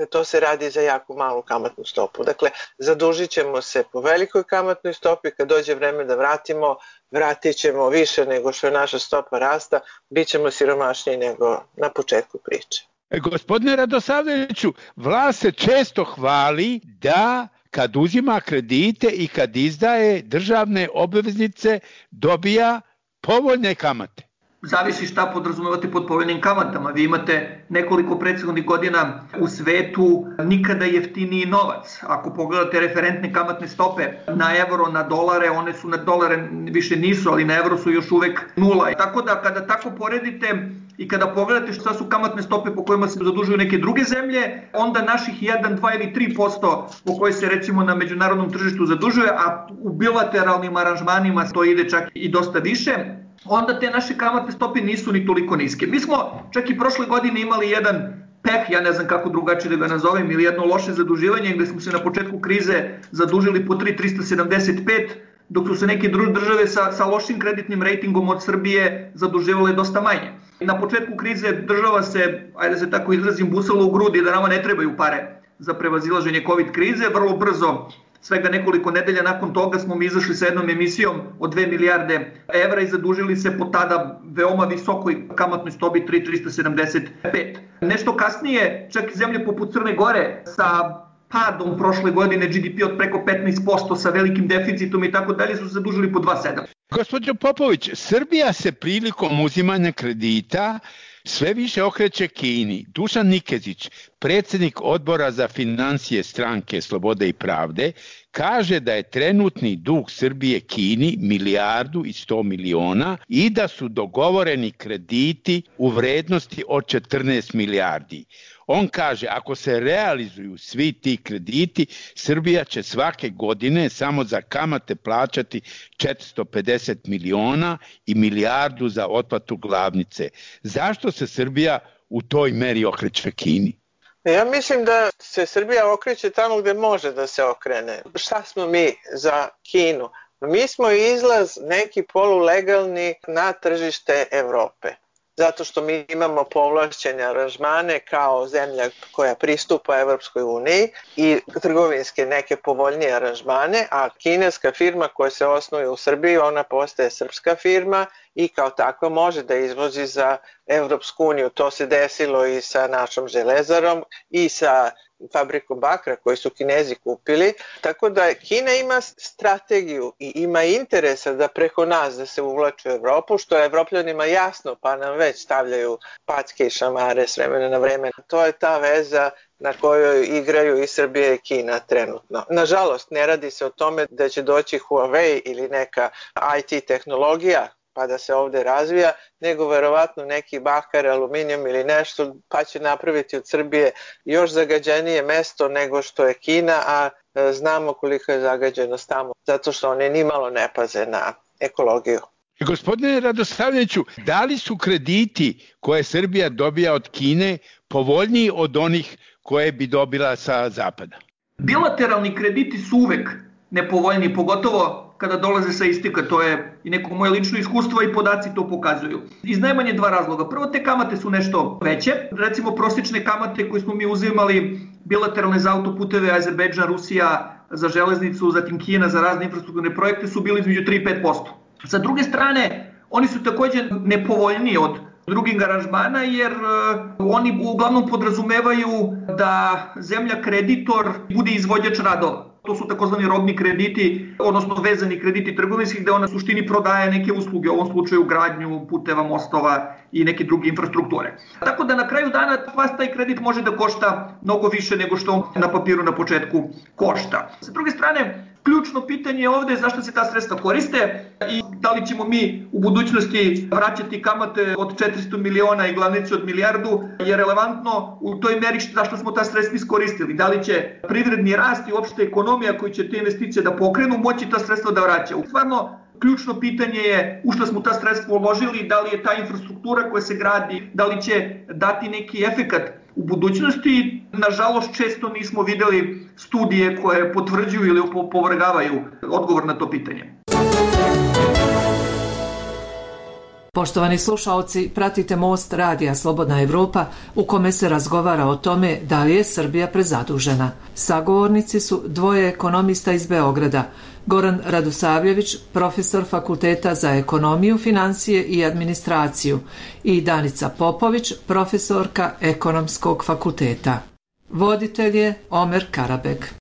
to se radi za jako malu kamatnu stopu. Dakle, zadužit ćemo se po velikoj kamatnoj stopi, kad dođe vreme da vratimo, vratit ćemo više nego što je naša stopa rasta, bit ćemo siromašniji nego na početku priče. E, gospodine Radosavljeviću, vlast se često hvali da kad uzima kredite i kad izdaje državne obveznice dobija povoljne kamate. Zavisi šta podrazumevate pod povoljnim kamatama. Vi imate nekoliko prethodnih godina u svetu nikada jeftiniji novac. Ako pogledate referentne kamatne stope na evro, na dolare, one su na dolare više nisu, ali na evro su još uvek nula. Tako da kada tako poredite i kada pogledate šta su kamatne stope po kojima se zadužuju neke druge zemlje, onda naših jedan, dva ili tri posto po koje se recimo na međunarodnom tržištu zadužuje, a u bilateralnim aranžmanima to ide čak i dosta više, onda te naše kamatne stope nisu ni toliko niske. Mi smo čak i prošle godine imali jedan peh, ja ne znam kako drugačije da ga nazovem, ili jedno loše zaduživanje gde smo se na početku krize zadužili po tri zarez trista sedamdeset pet, dok su se neke države sa, sa lošim kreditnim rejtingom od Srbije zaduživale dosta manje. Na početku krize država se, ajde da se tako izrazim, busala u grudi da nama ne trebaju pare za prevazilaženje COVID krize. Vrlo brzo, svega nekoliko nedelja nakon toga, smo mi izašli sa jednom emisijom od dve milijarde evra i zadužili se po tada veoma visokoj kamatnoj stopi tri zarez trista sedamdeset pet. Nešto kasnije, čak i zemlje poput Crne Gore sa padom prošle godine G D P od preko petnaest posto sa velikim deficitom i tako dalje su se zadužili po dva zarez sedam. Gospođo Popović, Srbija se prilikom uzimanja kredita sve više okreće Kini. Dušan Nikezić, predsjednik odbora za financije stranke Slobode i pravde, kaže da je trenutni dug Srbije Kini milijardu i sto miliona i da su dogovoreni krediti u vrednosti od četrnaest milijardi. On kaže, ako se realizuju svi ti krediti, Srbija će svake godine samo za kamate plaćati četiristo pedeset miliona i milijardu za otplatu glavnice. Zašto se Srbija u toj meri okreće Kini? Ja mislim da se Srbija okreće tamo gde može da se okrene. Šta smo mi za Kinu? Mi smo izlaz neki polulegalni na tržište Evrope. Zato što mi imamo povlašćene aranžmane kao zemlja koja pristupa Evropskoj uniji i trgovinske neke povoljnije aranžmane, a kineska firma koja se osnuje u Srbiji, ona postaje srpska firma i kao takva može da izvozi za Evropsku uniju. To se desilo i sa našom železarom i sa fabrikom bakra koju su Kinezi kupili. Tako da Kina ima strategiju i ima interesa da preko nas da se uvlači u Evropu, što je Evropljanima jasno, pa nam već stavljaju packe i šamare s vremena na vreme. To je ta veza na kojoj igraju i Srbija i Kina trenutno. Nažalost, ne radi se o tome da će doći Huawei ili neka I T tehnologija pa da se ovde razvija, nego verovatno neki bakar, aluminijum ili nešto, pa će napraviti od Srbije još zagađenije mesto nego što je Kina, a znamo koliko je zagađenost tamo, zato što oni nimalo ne paze na ekologiju. Gospodine Radosavljeviću, da li su krediti koje Srbija dobija od Kine povoljniji od onih koje bi dobila sa zapada? Bilateralni krediti su uvek nepovoljniji, pogotovo kada dolaze sa istika, to je i neko moje lično iskustvo i podaci to pokazuju. Iz najmanje dva razloga. Prvo, te kamate su nešto veće. Recimo, prosječne kamate koje smo mi uzimali bilateralne za autoputeve, Azerbejdžan, Rusija za železnicu, zatim Kina za razne infrastrukturne projekte su bili između tri i pet posto. Sa druge strane, oni su također nepovoljniji od drugih aranžmana jer oni uglavnom podrazumevaju da zemlja kreditor bude izvođač radova. To su takozvani robni krediti, odnosno vezani krediti trgovinski, gde ona u suštini prodaje neke usluge, u ovom slučaju gradnju puteva, mostova i neke druge infrastrukture. Tako da na kraju dana vas taj kredit može da košta mnogo više nego što on na papiru na početku košta. Sa druge strane, ključno pitanje je ovde zašto se ta sredstva koriste i da li ćemo mi u budućnosti vraćati kamate od četiristo miliona i glavnicu od milijardu, je relevantno u toj meri zašto smo ta sredstva iskoristili. Da li će privredni rast i uopšte ekonomija koji će te investicije da pokrenu moći ta sredstva da vraćaju. Stvarno, ključno pitanje je u što smo ta sredstva uložili, da li je ta infrastruktura koja se gradi, da li će dati neki efekat u budućnosti. Nažalost, često nismo videli studije koje potvrđuju ili opovrgavaju odgovor na to pitanje. Poštovani slušaoci, pratite Most radija Slobodna Evropa u kome se razgovara o tome da li je Srbija prezadužena. Sagovornici su dvoje ekonomista iz Beograda, Goran Radosavljević, profesor Fakulteta za ekonomiju, financije i administraciju i Danica Popović, profesorka Ekonomskog fakulteta. Voditelj je Omer Karabek.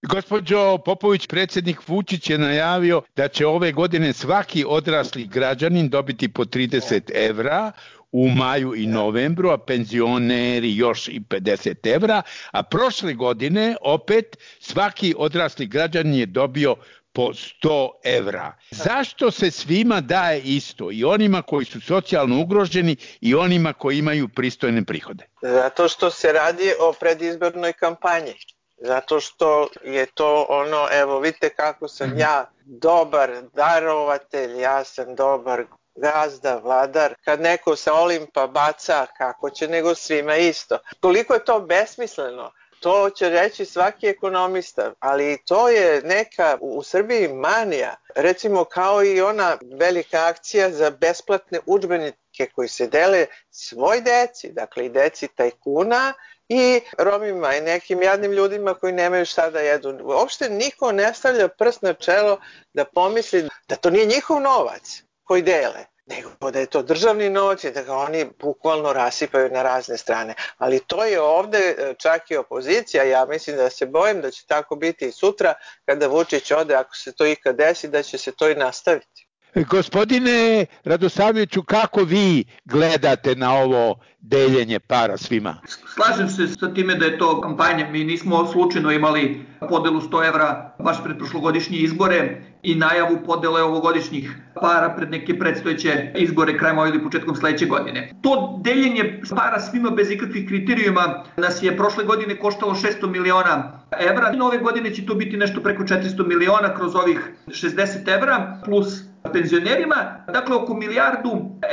Gospođo Popović, predsjednik Vučić je najavio da će ove godine svaki odrasli građanin dobiti po trideset evra u maju i novembru, a penzioneri još i pedeset evra, a prošle godine opet svaki odrasli građanin je dobio po sto evra. Zašto se svima daje isto, i onima koji su socijalno ugroženi i onima koji imaju pristojne prihode? Zato što se radi o predizbornoj kampanji. Zato što je to ono, evo vidite kako sam ja dobar darovatelj, ja sam dobar gazda, vladar. Kad neko sa Olimpa baca, kako će nego svima isto. Koliko je to besmisleno, to će reći svaki ekonomista, ali to je neka u Srbiji manija. Recimo kao i ona velika akcija za besplatne udžbenike koji se dele svoj deci, dakle i deci tajkuna, i Romima i nekim jadnim ljudima koji nemaju šta da jedu. Uopšte niko ne stavlja prst na čelo da pomisli da to nije njihov novac koji dele, nego da je to državni novac i da ga oni bukvalno rasipaju na razne strane. Ali to je ovde čak i opozicija, ja mislim da se bojim da će tako biti i sutra kada Vučić ode, ako se to ikad desi, da će se to i nastaviti. Gospodine Radosavljeviću, kako vi gledate na ovo deljenje para svima? Slažem se sa time da je to kampanja. Mi nismo slučajno imali podelu sto evra baš pred prošlogodišnje izbore i najavu podele ovogodišnjih para pred neke predstojeće izbore krajem ove ili početkom sledeće godine. To deljenje para svima bez ikakvih kriterijuma nas je prošle godine koštalo šesto miliona evra. Ove godine će to biti nešto preko četiristo miliona kroz ovih šezdeset evra plus penzionerima, dakle oko milijardu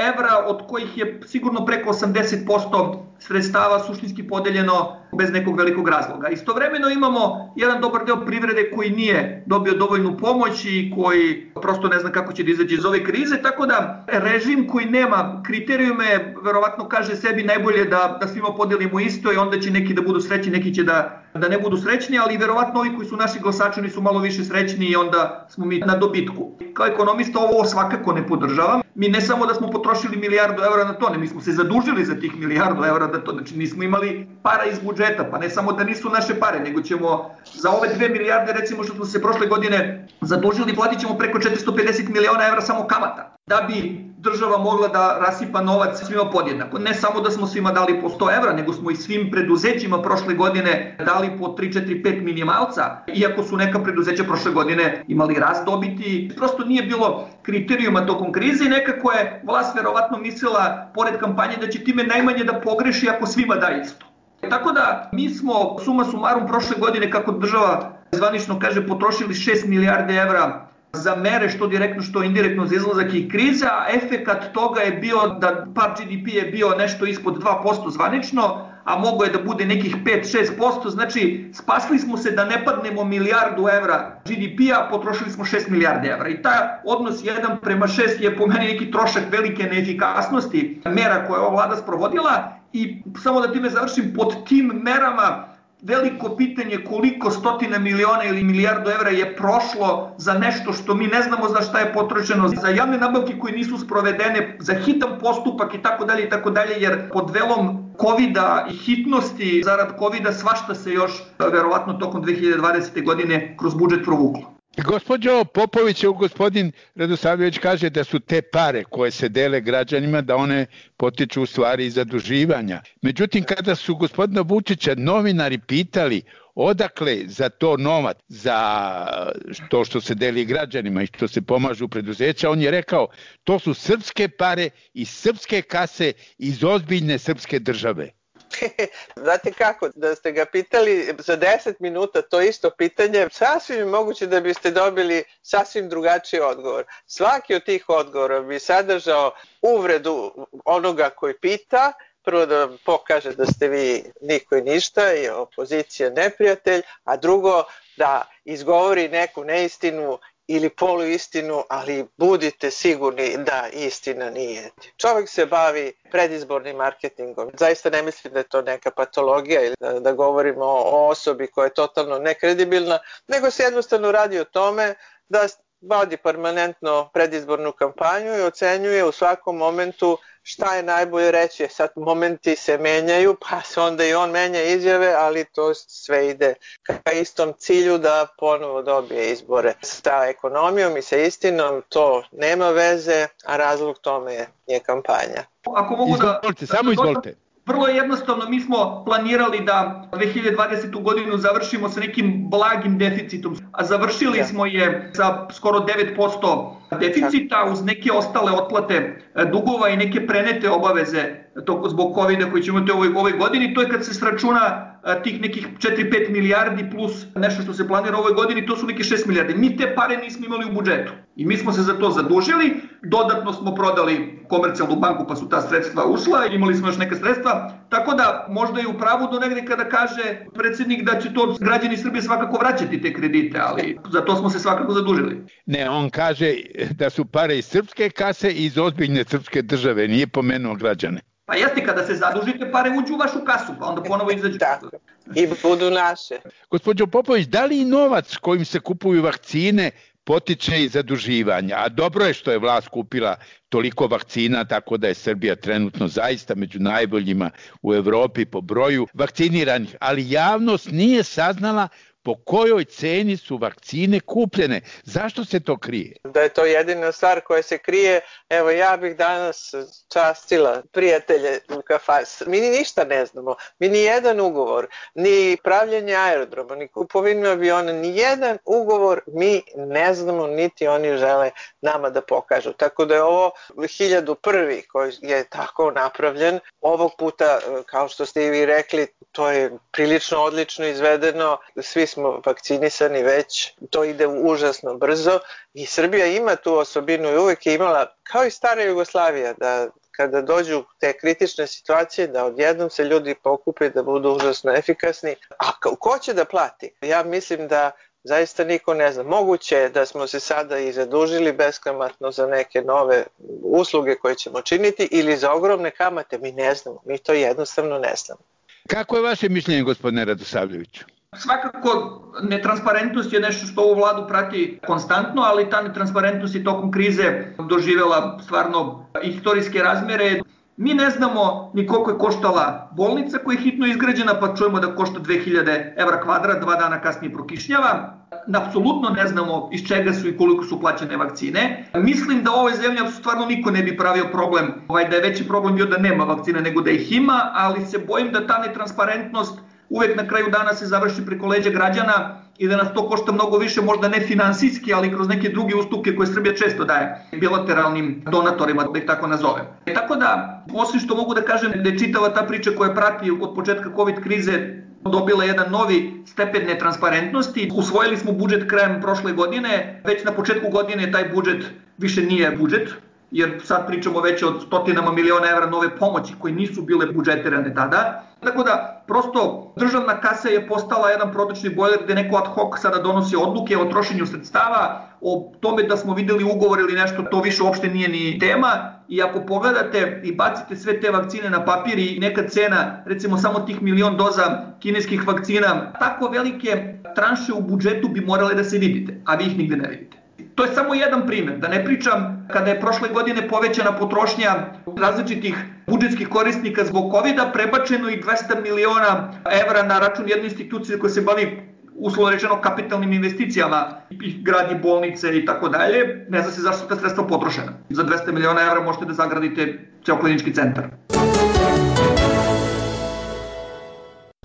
evra od kojih je sigurno preko osamdeset posto sredstava suštinski podeljeno bez nekog velikog razloga. Istovremeno imamo jedan dobar deo privrede koji nije dobio dovoljnu pomoć i koji prosto ne zna kako će da izađe iz ove krize, tako da režim koji nema kriterijume verovatno kaže sebi najbolje da, da svima podelimo isto i onda će neki da budu srećni, neki će da, da ne budu srećni, ali verovatno ovi koji su naši glasači oni su malo više srećni i onda smo mi na dobitku. Kao ekonomista ovo svakako ne podržavam. Mi ne samo da smo potrošili milijardu evra na to, ne, mi smo se zadužili za tih milijardu evra da to, znači nismo imali para iz budžeta, pa ne samo da nisu naše pare, nego ćemo za ove dve milijarde recimo što smo se prošle godine zadužili, platit ćemo preko četiristo pedeset miliona evra samo kamata. da bi država mogla da rasipa novac svima podjednako. Ne samo da smo svima dali po sto evra, nego smo i svim preduzećima prošle godine dali po tri, četiri, pet minimalca, iako su neka preduzeća prošle godine imali rast dobiti. Prosto nije bilo kriterijuma tokom krize i nekako je vlast verovatno mislila, pored kampanje, da će time najmanje da pogreši ako svima da isto. Tako da mi smo suma sumarum prošle godine, kako država zvanično kaže, potrošili šest milijarde evra za mere što direktno što indirektno za izlazak i kriza, a efekat toga je bio da pad G D P je bio nešto ispod dva posto zvanično, a mogo je da bude nekih pet do šest posto, znači spasli smo se da ne padnemo milijardu evra G D P-a, potrošili smo šest milijarde evra i taj odnos jedan prema šest je po meni neki trošak velike neefikasnosti mera koje je ova vlada sprovodila i samo da time završim, pod tim merama veliko pitanje koliko stotina miliona ili milijardu evra je prošlo za nešto što mi ne znamo za šta je potrošeno, za javne nabavke koje nisu sprovedene, za hitan postupak i tako dalje i tako dalje, jer pod velom kovida i hitnosti zarad kovida svašta se još verovatno tokom dve hiljade dvadesete. godine kroz budžet provuklo. Gospođo Popović, gospodin Radosavljević kaže da su te pare koje se dele građanima, da one potiču u stvari iz zaduživanja. Međutim, kada su gospodina Vučića novinari pitali odakle za to novac, za to što se deli građanima i što se pomažu preduzeća, on je rekao to su srpske pare iz srpske kase, iz ozbiljne srpske države. Znate kako, da ste ga pitali za deset minuta to isto pitanje, sasvim je moguće da biste dobili sasvim drugačiji odgovor. Svaki od tih odgovora bi sadržao uvredu onoga koji pita, prvo da vam pokaže da ste vi niko i ništa i opozicija neprijatelj, a drugo da izgovori neku neistinu ili poluistinu, ali budite sigurni da istina nije. Čovjek se bavi predizbornim marketingom. Zaista ne mislim da je to neka patologija ili da, da govorimo o osobi koja je totalno nekredibilna, nego se jednostavno radi o tome da vodi permanentno predizbornu kampanju i ocenjuje u svakom momentu šta je najbolje reći. Sad momenti se menjaju, pa se onda i on menja izjave, ali to sve ide ka istom cilju da ponovo dobije izbore. Sa ekonomijom i sa istinom to nema veze, a razlog tome je kampanja. Ako mogu da... Izvolite, samo izvolite. Vrlo jednostavno, mi smo planirali da dve hiljade dvadesetu. godinu završimo sa nekim blagim deficitom, a završili smo je sa skoro devet posto deficita uz neke ostale otplate dugova i neke prenete obaveze zbog kovida koji ćemo imati u ovoj, ovoj godini. To je kad se sračuna tih nekih četiri do pet milijardi plus nešto što se planira u ovoj godini, to su neke šest milijardi. Mi te pare nismo imali u budžetu i mi smo se za to zadužili, dodatno smo prodali Komercijalnu banku pa su ta sredstva ušla, imali smo još neka sredstva, tako da možda je u pravu do negde kada kaže predsjednik da će to građani Srbije svakako vraćati te kredite, ali za to smo se svakako zadužili. Ne, on kaže da su pare iz srpske kase i iz ozbiljne srpske države, nije pomenuo građane. Pa jeste, kada se zadužite, pare uđu u vašu kasu, pa onda ponovo izađu. Tako, i budu naše. Gospođo Popović, da li novac kojim se kupuju vakcine potiče i zaduživanja? A dobro je što je vlast kupila toliko vakcina, tako da je Srbija trenutno zaista među najboljima u Evropi po broju vakciniranih, ali javnost nije saznala po kojoj ceni su vakcine kupljene. Zašto se to krije? Da je to jedina stvar koja se krije. Evo, ja bih danas častila prijatelje u kafani. Mi ni ništa ne znamo. Mi ni jedan ugovor, ni pravljenje aerodroma, ni kupovinu aviona, ni jedan ugovor mi ne znamo, niti oni žele nama da pokažu. Tako da je ovo hiljadu prvi koji je tako napravljen. Ovog puta, kao što ste i vi rekli, to je prilično odlično izvedeno. Svi smo vakcinisani već, to ide užasno brzo i Srbija ima tu osobinu i uvek je imala, kao i stara Jugoslavija, da kada dođu te kritične situacije, da odjednom se ljudi pokupe da budu užasno efikasni. A ko će da plati? Ja mislim da zaista niko ne zna. Moguće je da smo se sada i zadužili beskamatno za neke nove usluge koje ćemo činiti ili za ogromne kamate. Mi ne znamo, mi to jednostavno ne znamo. Kako je vaše mišljenje, gospodine Radosavljeviću? Svakako, netransparentnost je nešto što ovu vladu prati konstantno, ali ta netransparentnost je tokom krize doživjela stvarno istorijske razmere. Mi ne znamo ni koliko je koštala bolnica koja je hitno izgrađena, pa čujemo da košta dve hiljade evra kvadrat, dva dana kasnije prokišnjava. Apsolutno ne znamo iz čega su i koliko su plaćene vakcine. Mislim da u ovoj zemlji stvarno niko ne bi pravio problem, ovaj, da je veći problem bio da nema vakcina nego da ih ima, ali se bojim da ta netransparentnost uvek na kraju dana se završi preko leđa građana i da nas to košta mnogo više, možda ne finansijski, ali kroz neke druge ustupke koje Srbija često daje bilateralnim donatorima, da ih tako nazovem. E, tako da, osim što mogu da kažem da je čitava ta priča koja prati od početka COVID krize dobila jedan novi stepen netransparentnosti. Usvojili smo budžet krajem prošle godine, već na početku godine taj budžet više nije budžet, jer sad pričamo već o stotinama miliona evra nove pomoći koje nisu bile budžetirane tada. Tako da, prosto, državna kasa je postala jedan protočni bojler gde neko ad hoc sada donosi odluke o trošenju sredstava, o tome da smo videli ugovor ili nešto, to više uopšte nije ni tema. I ako pogledate i bacite sve te vakcine na papir i neka cena, recimo samo tih milion doza kineskih vakcina, tako velike tranše u budžetu bi morale da se vidite, a vi ih nigde ne vidite. To je samo jedan primjer, da ne pričam kada je prošle godine povećana potrošnja različitih budžetskih korisnika zbog kovida, prebačeno i dvesta miliona evra na račun jedne institucije koja se bavi uslovno rečeno kapitalnim investicijama, i gradi bolnice i tako dalje. Ne zna se zašto su ta sredstva potrošena. Za dvesta miliona evra možete da zagradite ceo klinički centar.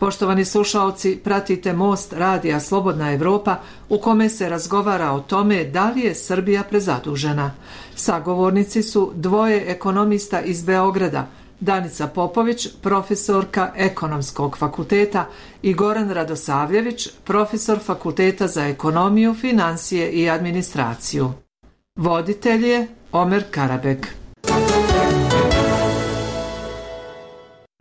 Poštovani slušaoci, pratite Most radija Slobodna Evropa u kome se razgovara o tome da li je Srbija prezadužena. Sagovornici su dvoje ekonomista iz Beograda, Danica Popović, profesorka Ekonomskog fakulteta, i Goran Radosavljević, profesor Fakulteta za ekonomiju, finansije i administraciju. Voditelj je Omer Karabek.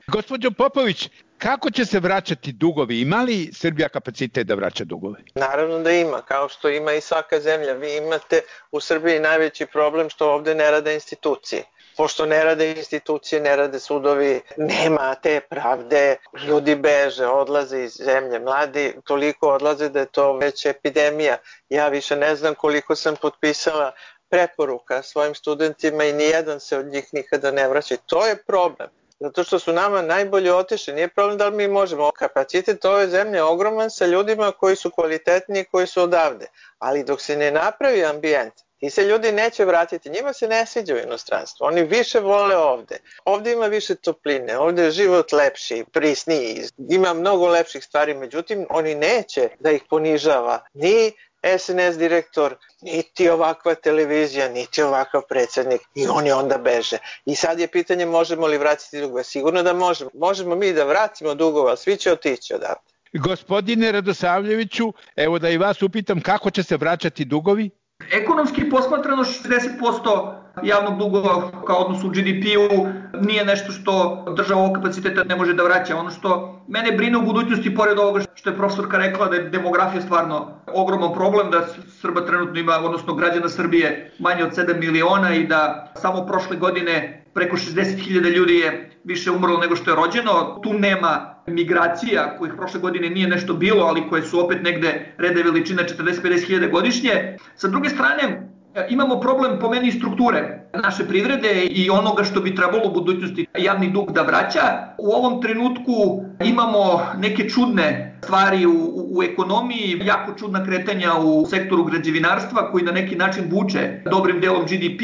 Gospođo Popović, kako će se vraćati dugovi? Ima li Srbija kapacitet da vraća dugove? Naravno da ima, kao što ima i svaka zemlja. Vi imate u Srbiji najveći problem što ovde ne rade institucije. Pošto ne rade institucije, ne rade sudovi, nema te pravde, ljudi beže, odlaze iz zemlje, mladi toliko odlaze da je to već epidemija. Ja više ne znam koliko sam potpisala preporuka svojim studentima i nijedan se od njih nikada ne vraća. To je problem. Zato što su nama najbolje otišli. Nije problem da li mi možemo. Kapacitet ove zemlje je ogroman sa ljudima koji su kvalitetni i koji su odavde. Ali dok se ne napravi ambijent, ti se ljudi neće vratiti. Njima se ne sviđa u inostranstvu. Oni više vole ovde. Ovde ima više topline, ovde je život lepši, prisniji. Ima mnogo lepših stvari, međutim, oni neće da ih ponižava ni S N S direktor, niti ovakva televizija, niti ovakav predsjednik, i oni onda beže. I sad je pitanje možemo li vratiti dugove. Sigurno da možemo. Možemo mi da vratimo dugove, ali svi će otići odavde. Gospodine Radosavljeviću, evo da i vas upitam kako će se vraćati dugovi? Ekonomski posmatrano šezdeset posto javnog duga kao odnos u G D P-u nije nešto što država ovog kapaciteta ne može da vraća. Ono što mene brine u budućnosti, pored ovoga što je profesorka rekla da je demografija stvarno ogroman problem, da Srba trenutno ima, odnosno građana Srbije, manje od sedam miliona i da samo prošle godine preko šezdeset hiljada ljudi je više umrlo nego što je rođeno. Tu nema migracija, kojih prošle godine nije nešto bilo, ali koje su opet negde rede veličina četrdeset do pedeset hiljada godišnje. Sa druge strane, imamo problem po meni strukture naše privrede i onoga što bi trebalo u budućnosti javni dug da vraća. U ovom trenutku imamo neke čudne stvari u, u ekonomiji, jako čudna kretanja u sektoru građevinarstva koji na neki način vuče dobrim delom G D P.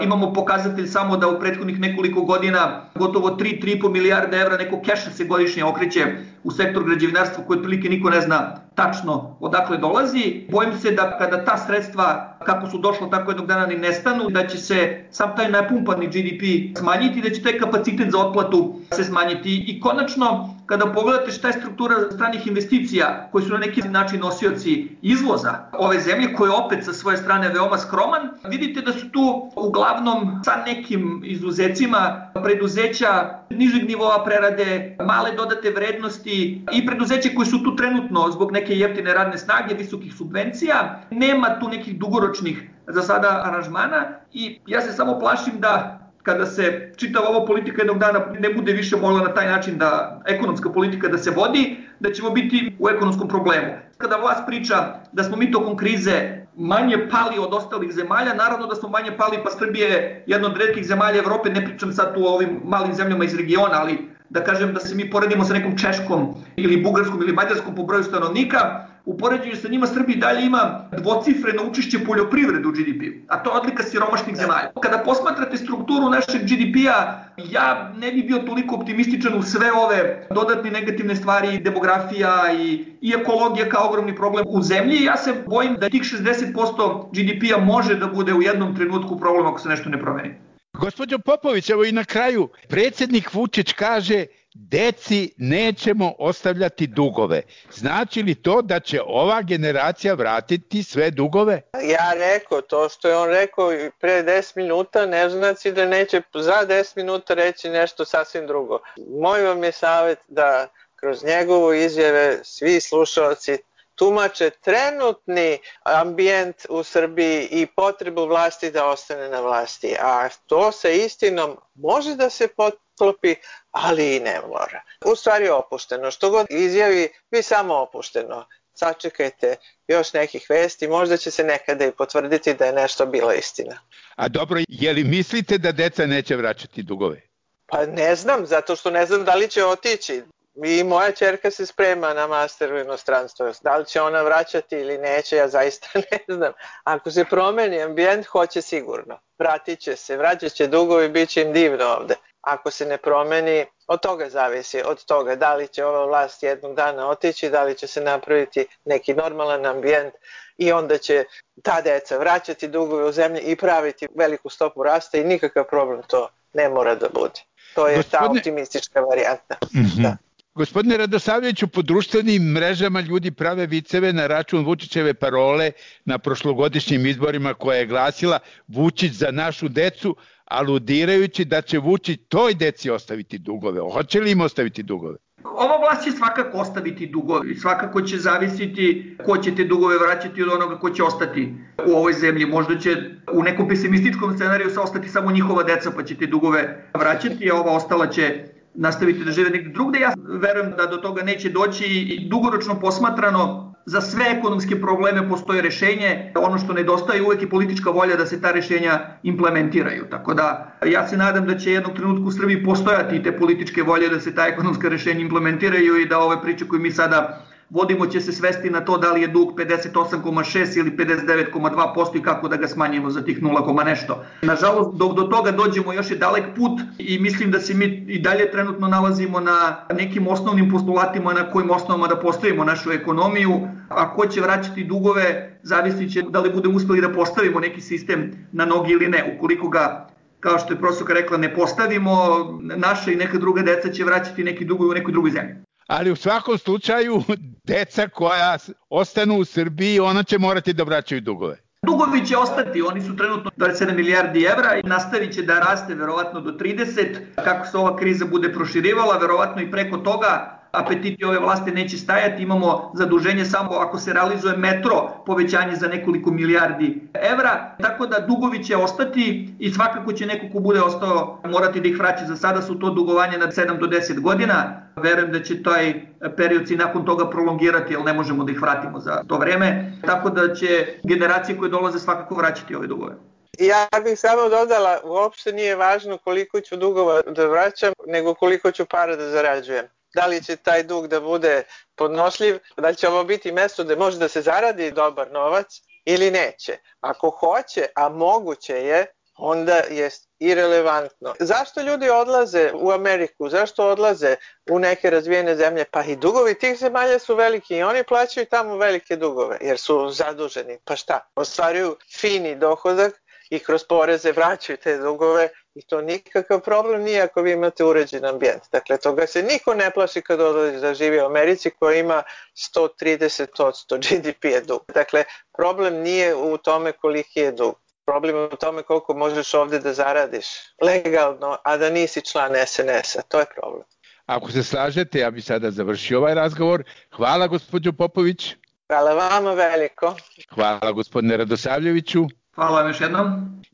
Imamo pokazatelj samo da u prethodnih nekoliko godina gotovo tri do tri i po milijarde evra neko keša se godišnje okreće u sektor građevinarstva koji otprilike niko ne zna tačno odakle dolazi. Bojim se da kada ta sredstva kako su došla tako jednog dana ni nestanu, da će se sam taj napumpani G D P smanjiti, da će taj kapacitet za otplatu se smanjiti. I konačno, kada pogledate šta je struktura stranih investicija koji su na neki način nosioci izvoza ove zemlje, koje je opet sa svoje strane veoma skroman, vidite da su tu uglavnom sa nekim izuzecima preduzeća nižeg nivoa prerade, male dodate vrednosti i preduzeće koje su tu trenutno zbog neke jeftine radne snage, visokih subvencija. Nema tu nekih dugoročnih za sada aranžmana i ja se samo plašim da kada se čitava ova politika jednog dana ne bude više mogla na taj način da ekonomska politika da se vodi, da ćemo biti u ekonomskom problemu. Kada vlast priča da smo mi tokom krize manje pali od ostalih zemalja. Naravno da smo manje pali, pa Srbija je jedna od retkih zemalja Evrope, ne pričam sad tu o ovim malim zemljama iz regiona, ali da kažem da se mi poredimo sa nekom Češkom ili Bugarskom ili Mađarskom po broju stanovnika, u poređenju sa njima Srbija dalje ima dvocifreno učešće poljoprivrede u G D P-u, a to je odlika siromašnih zemalja. Kada posmatrate strukturu našeg G D P-a, ja ne bi bio toliko optimističan u sve ove dodatne negativne stvari, demografija i, i ekologija kao ogromni problem u zemlji. Ja se bojim da tih šezdeset posto G D P-a može da bude u jednom trenutku problem ako se nešto ne promeni. Gospođo Popović, evo i na kraju, predsjednik Vučić kaže deci nećemo ostavljati dugove. Znači li to da će ova generacija vratiti sve dugove? Ja rekao, to što je on rekao pre deset minuta ne znači da neće za deset minuta reći nešto sasvim drugo. Moj vam je savjet da kroz njegovu izjave svi slušalci tumače trenutni ambijent u Srbiji i potrebu vlasti da ostane na vlasti. A to sa istinom može da se potklopi, ali i ne mora. U stvari opušteno. Što god izjavi, vi samo opušteno. Sačekajte još nekih vesti, možda će se nekada i potvrditi da je nešto bila istina. A dobro, je li mislite da deca neće vraćati dugove? Pa ne znam, zato što ne znam da li će otići. I moja ćerka se sprema na master u inostranstvu. Da li će ona vraćati ili neće, ja zaista ne znam. Ako se promeni ambijent, hoće sigurno. Vratit će se, vraćat će dugovi, bit će im divno ovde. Ako se ne promeni, od toga zavisi, od toga da li će ova vlast jednog dana otići, da li će se napraviti neki normalan ambijent i onda će ta deca vraćati dugove u zemlji i praviti veliku stopu rasta i nikakav problem to ne mora da bude. To je Gospodine... ta optimistička varijanta. Mm-hmm. Da. Gospodine Radosavljeviću, po društvenim mrežama ljudi prave viceve na račun Vučićeve parole na prošlogodišnjim izborima koja je glasila Vučić za našu decu, aludirajući da će Vučić toj deci ostaviti dugove. Hoće li im ostaviti dugove? Ova vlast će svakako ostaviti dugove. Svakako će zavisiti ko će te dugove vraćati od onoga ko će ostati u ovoj zemlji. Možda će u nekom pesimističkom scenariju se ostati samo njihova deca pa će te dugove vraćati, a ova ostala će nastaviti da žive negdje drugde. Ja verujem da do toga neće doći i dugoročno posmatrano za sve ekonomske probleme postoji rešenje. Ono što nedostaje uvek je politička volja da se ta rešenja implementiraju. Tako da ja se nadam da će jednog trenutku u Srbiji postojati te političke volje da se ta ekonomska rešenja implementiraju i da ove priče koje mi sada vodimo će se svesti na to da li je dug pedeset osam zarez šest ili pedeset devet zarez dva posto i kako da ga smanjimo za tih nula, nešto. Nažalost, dok do toga dođemo još je dalek put i mislim da se mi i dalje trenutno nalazimo na nekim osnovnim postulatima na kojim osnovama da postavimo našu ekonomiju. A ko će vraćati dugove, zavisit će da li budemo uspeli da postavimo neki sistem na nogi ili ne. Ukoliko ga, kao što je profesorka rekla, ne postavimo, naša i neka druga deca će vraćati neki dugovi u nekoj drugoj zemlji. Ali u svakom slučaju, deca koja ostanu u Srbiji, ona će morati da vraćaju dugove. Dugovi će ostati, oni su trenutno dvadeset sedam milijardi evra i nastavit će da raste verovatno do trideset. Kako se ova kriza bude proširivala, verovatno i preko toga, apetiti ove vlasti neće stajati. Imamo zaduženje samo ako se realizuje metro, povećanje za nekoliko milijardi evra. Tako da dugovi će ostati i svakako će neko ko bude ostao morati da ih vraća. Za sada su to dugovanje na sedam do deset godina. Verujem da će taj period se nakon toga prolongirati, jer ne možemo da ih vratimo za to vreme. Tako da će generacije koje dolaze svakako vraćati ove dugove. Ja bih samo dodala, uopšte nije važno koliko ću dugova da vraćam, nego koliko ću para da zarađujem. Da li će taj dug da bude podnošljiv, da li će ovo biti mesto gde može da se zaradi dobar novac ili neće. Ako hoće, a moguće je, onda je irelevantno. Zašto ljudi odlaze u Ameriku? Zašto odlaze u neke razvijene zemlje? Pa i dugovi tih zemalja su veliki i oni plaćaju tamo velike dugove jer su zaduženi. Pa šta? Ostvaruju fini dohodak i kroz poreze vraćaju te dugove i to nikakav problem nije ako vi imate uređen ambijent. Dakle, toga se niko ne plaši kad odlazi da živi u Americi koja ima sto trideset posto G D P-a dug. Dakle, problem nije u tome koliki je dug. Problem je u tome koliko možeš ovde da zaradiš legalno, a da nisi član S N S-a. To je problem. Ako se slažete, ja bih sada završio ovaj razgovor. Hvala gospođo Popović. Hvala vama veliko. Hvala gospodine Radosavljeviću. Hvala vam još jednom.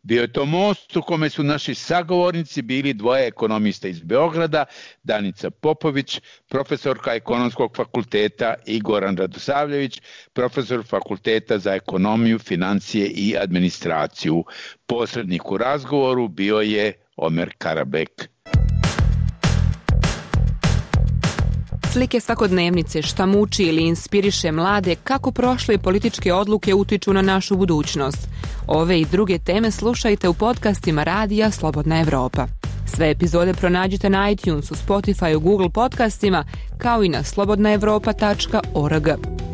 Bio je to most u kome su naši sagovornici bili dvoje ekonomista iz Beograda, Danica Popović, profesorka Ekonomskog fakulteta, i Goran Radosavljević, profesor Fakulteta za ekonomiju, financije i administraciju. Posrednik u razgovoru bio je Omer Karabek. Slike svakodnevnice, šta muči ili inspiriše mlade, kako prošle političke odluke utiču na našu budućnost. Ove i druge teme slušajte u podcastima Radija Slobodna Evropa. Sve epizode pronađite na iTunesu, Spotifyu, Google podcastima, kao i na slobodna evropa tačka org.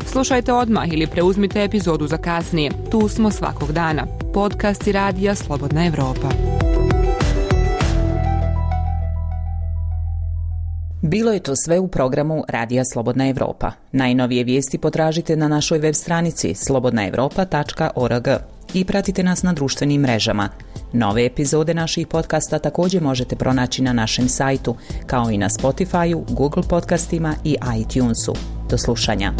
Slušajte odmah ili preuzmite epizodu za kasnije. Tu smo svakog dana. Podcasti Radija Slobodna Evropa. Bilo je to sve u programu Radija Slobodna Evropa. Najnovije vijesti potražite na našoj web stranici slobodna evropa tačka org i pratite nas na društvenim mrežama. Nove epizode naših podcasta također možete pronaći na našem sajtu, kao i na Spotifyu, Google podcastima i iTunesu. Do slušanja.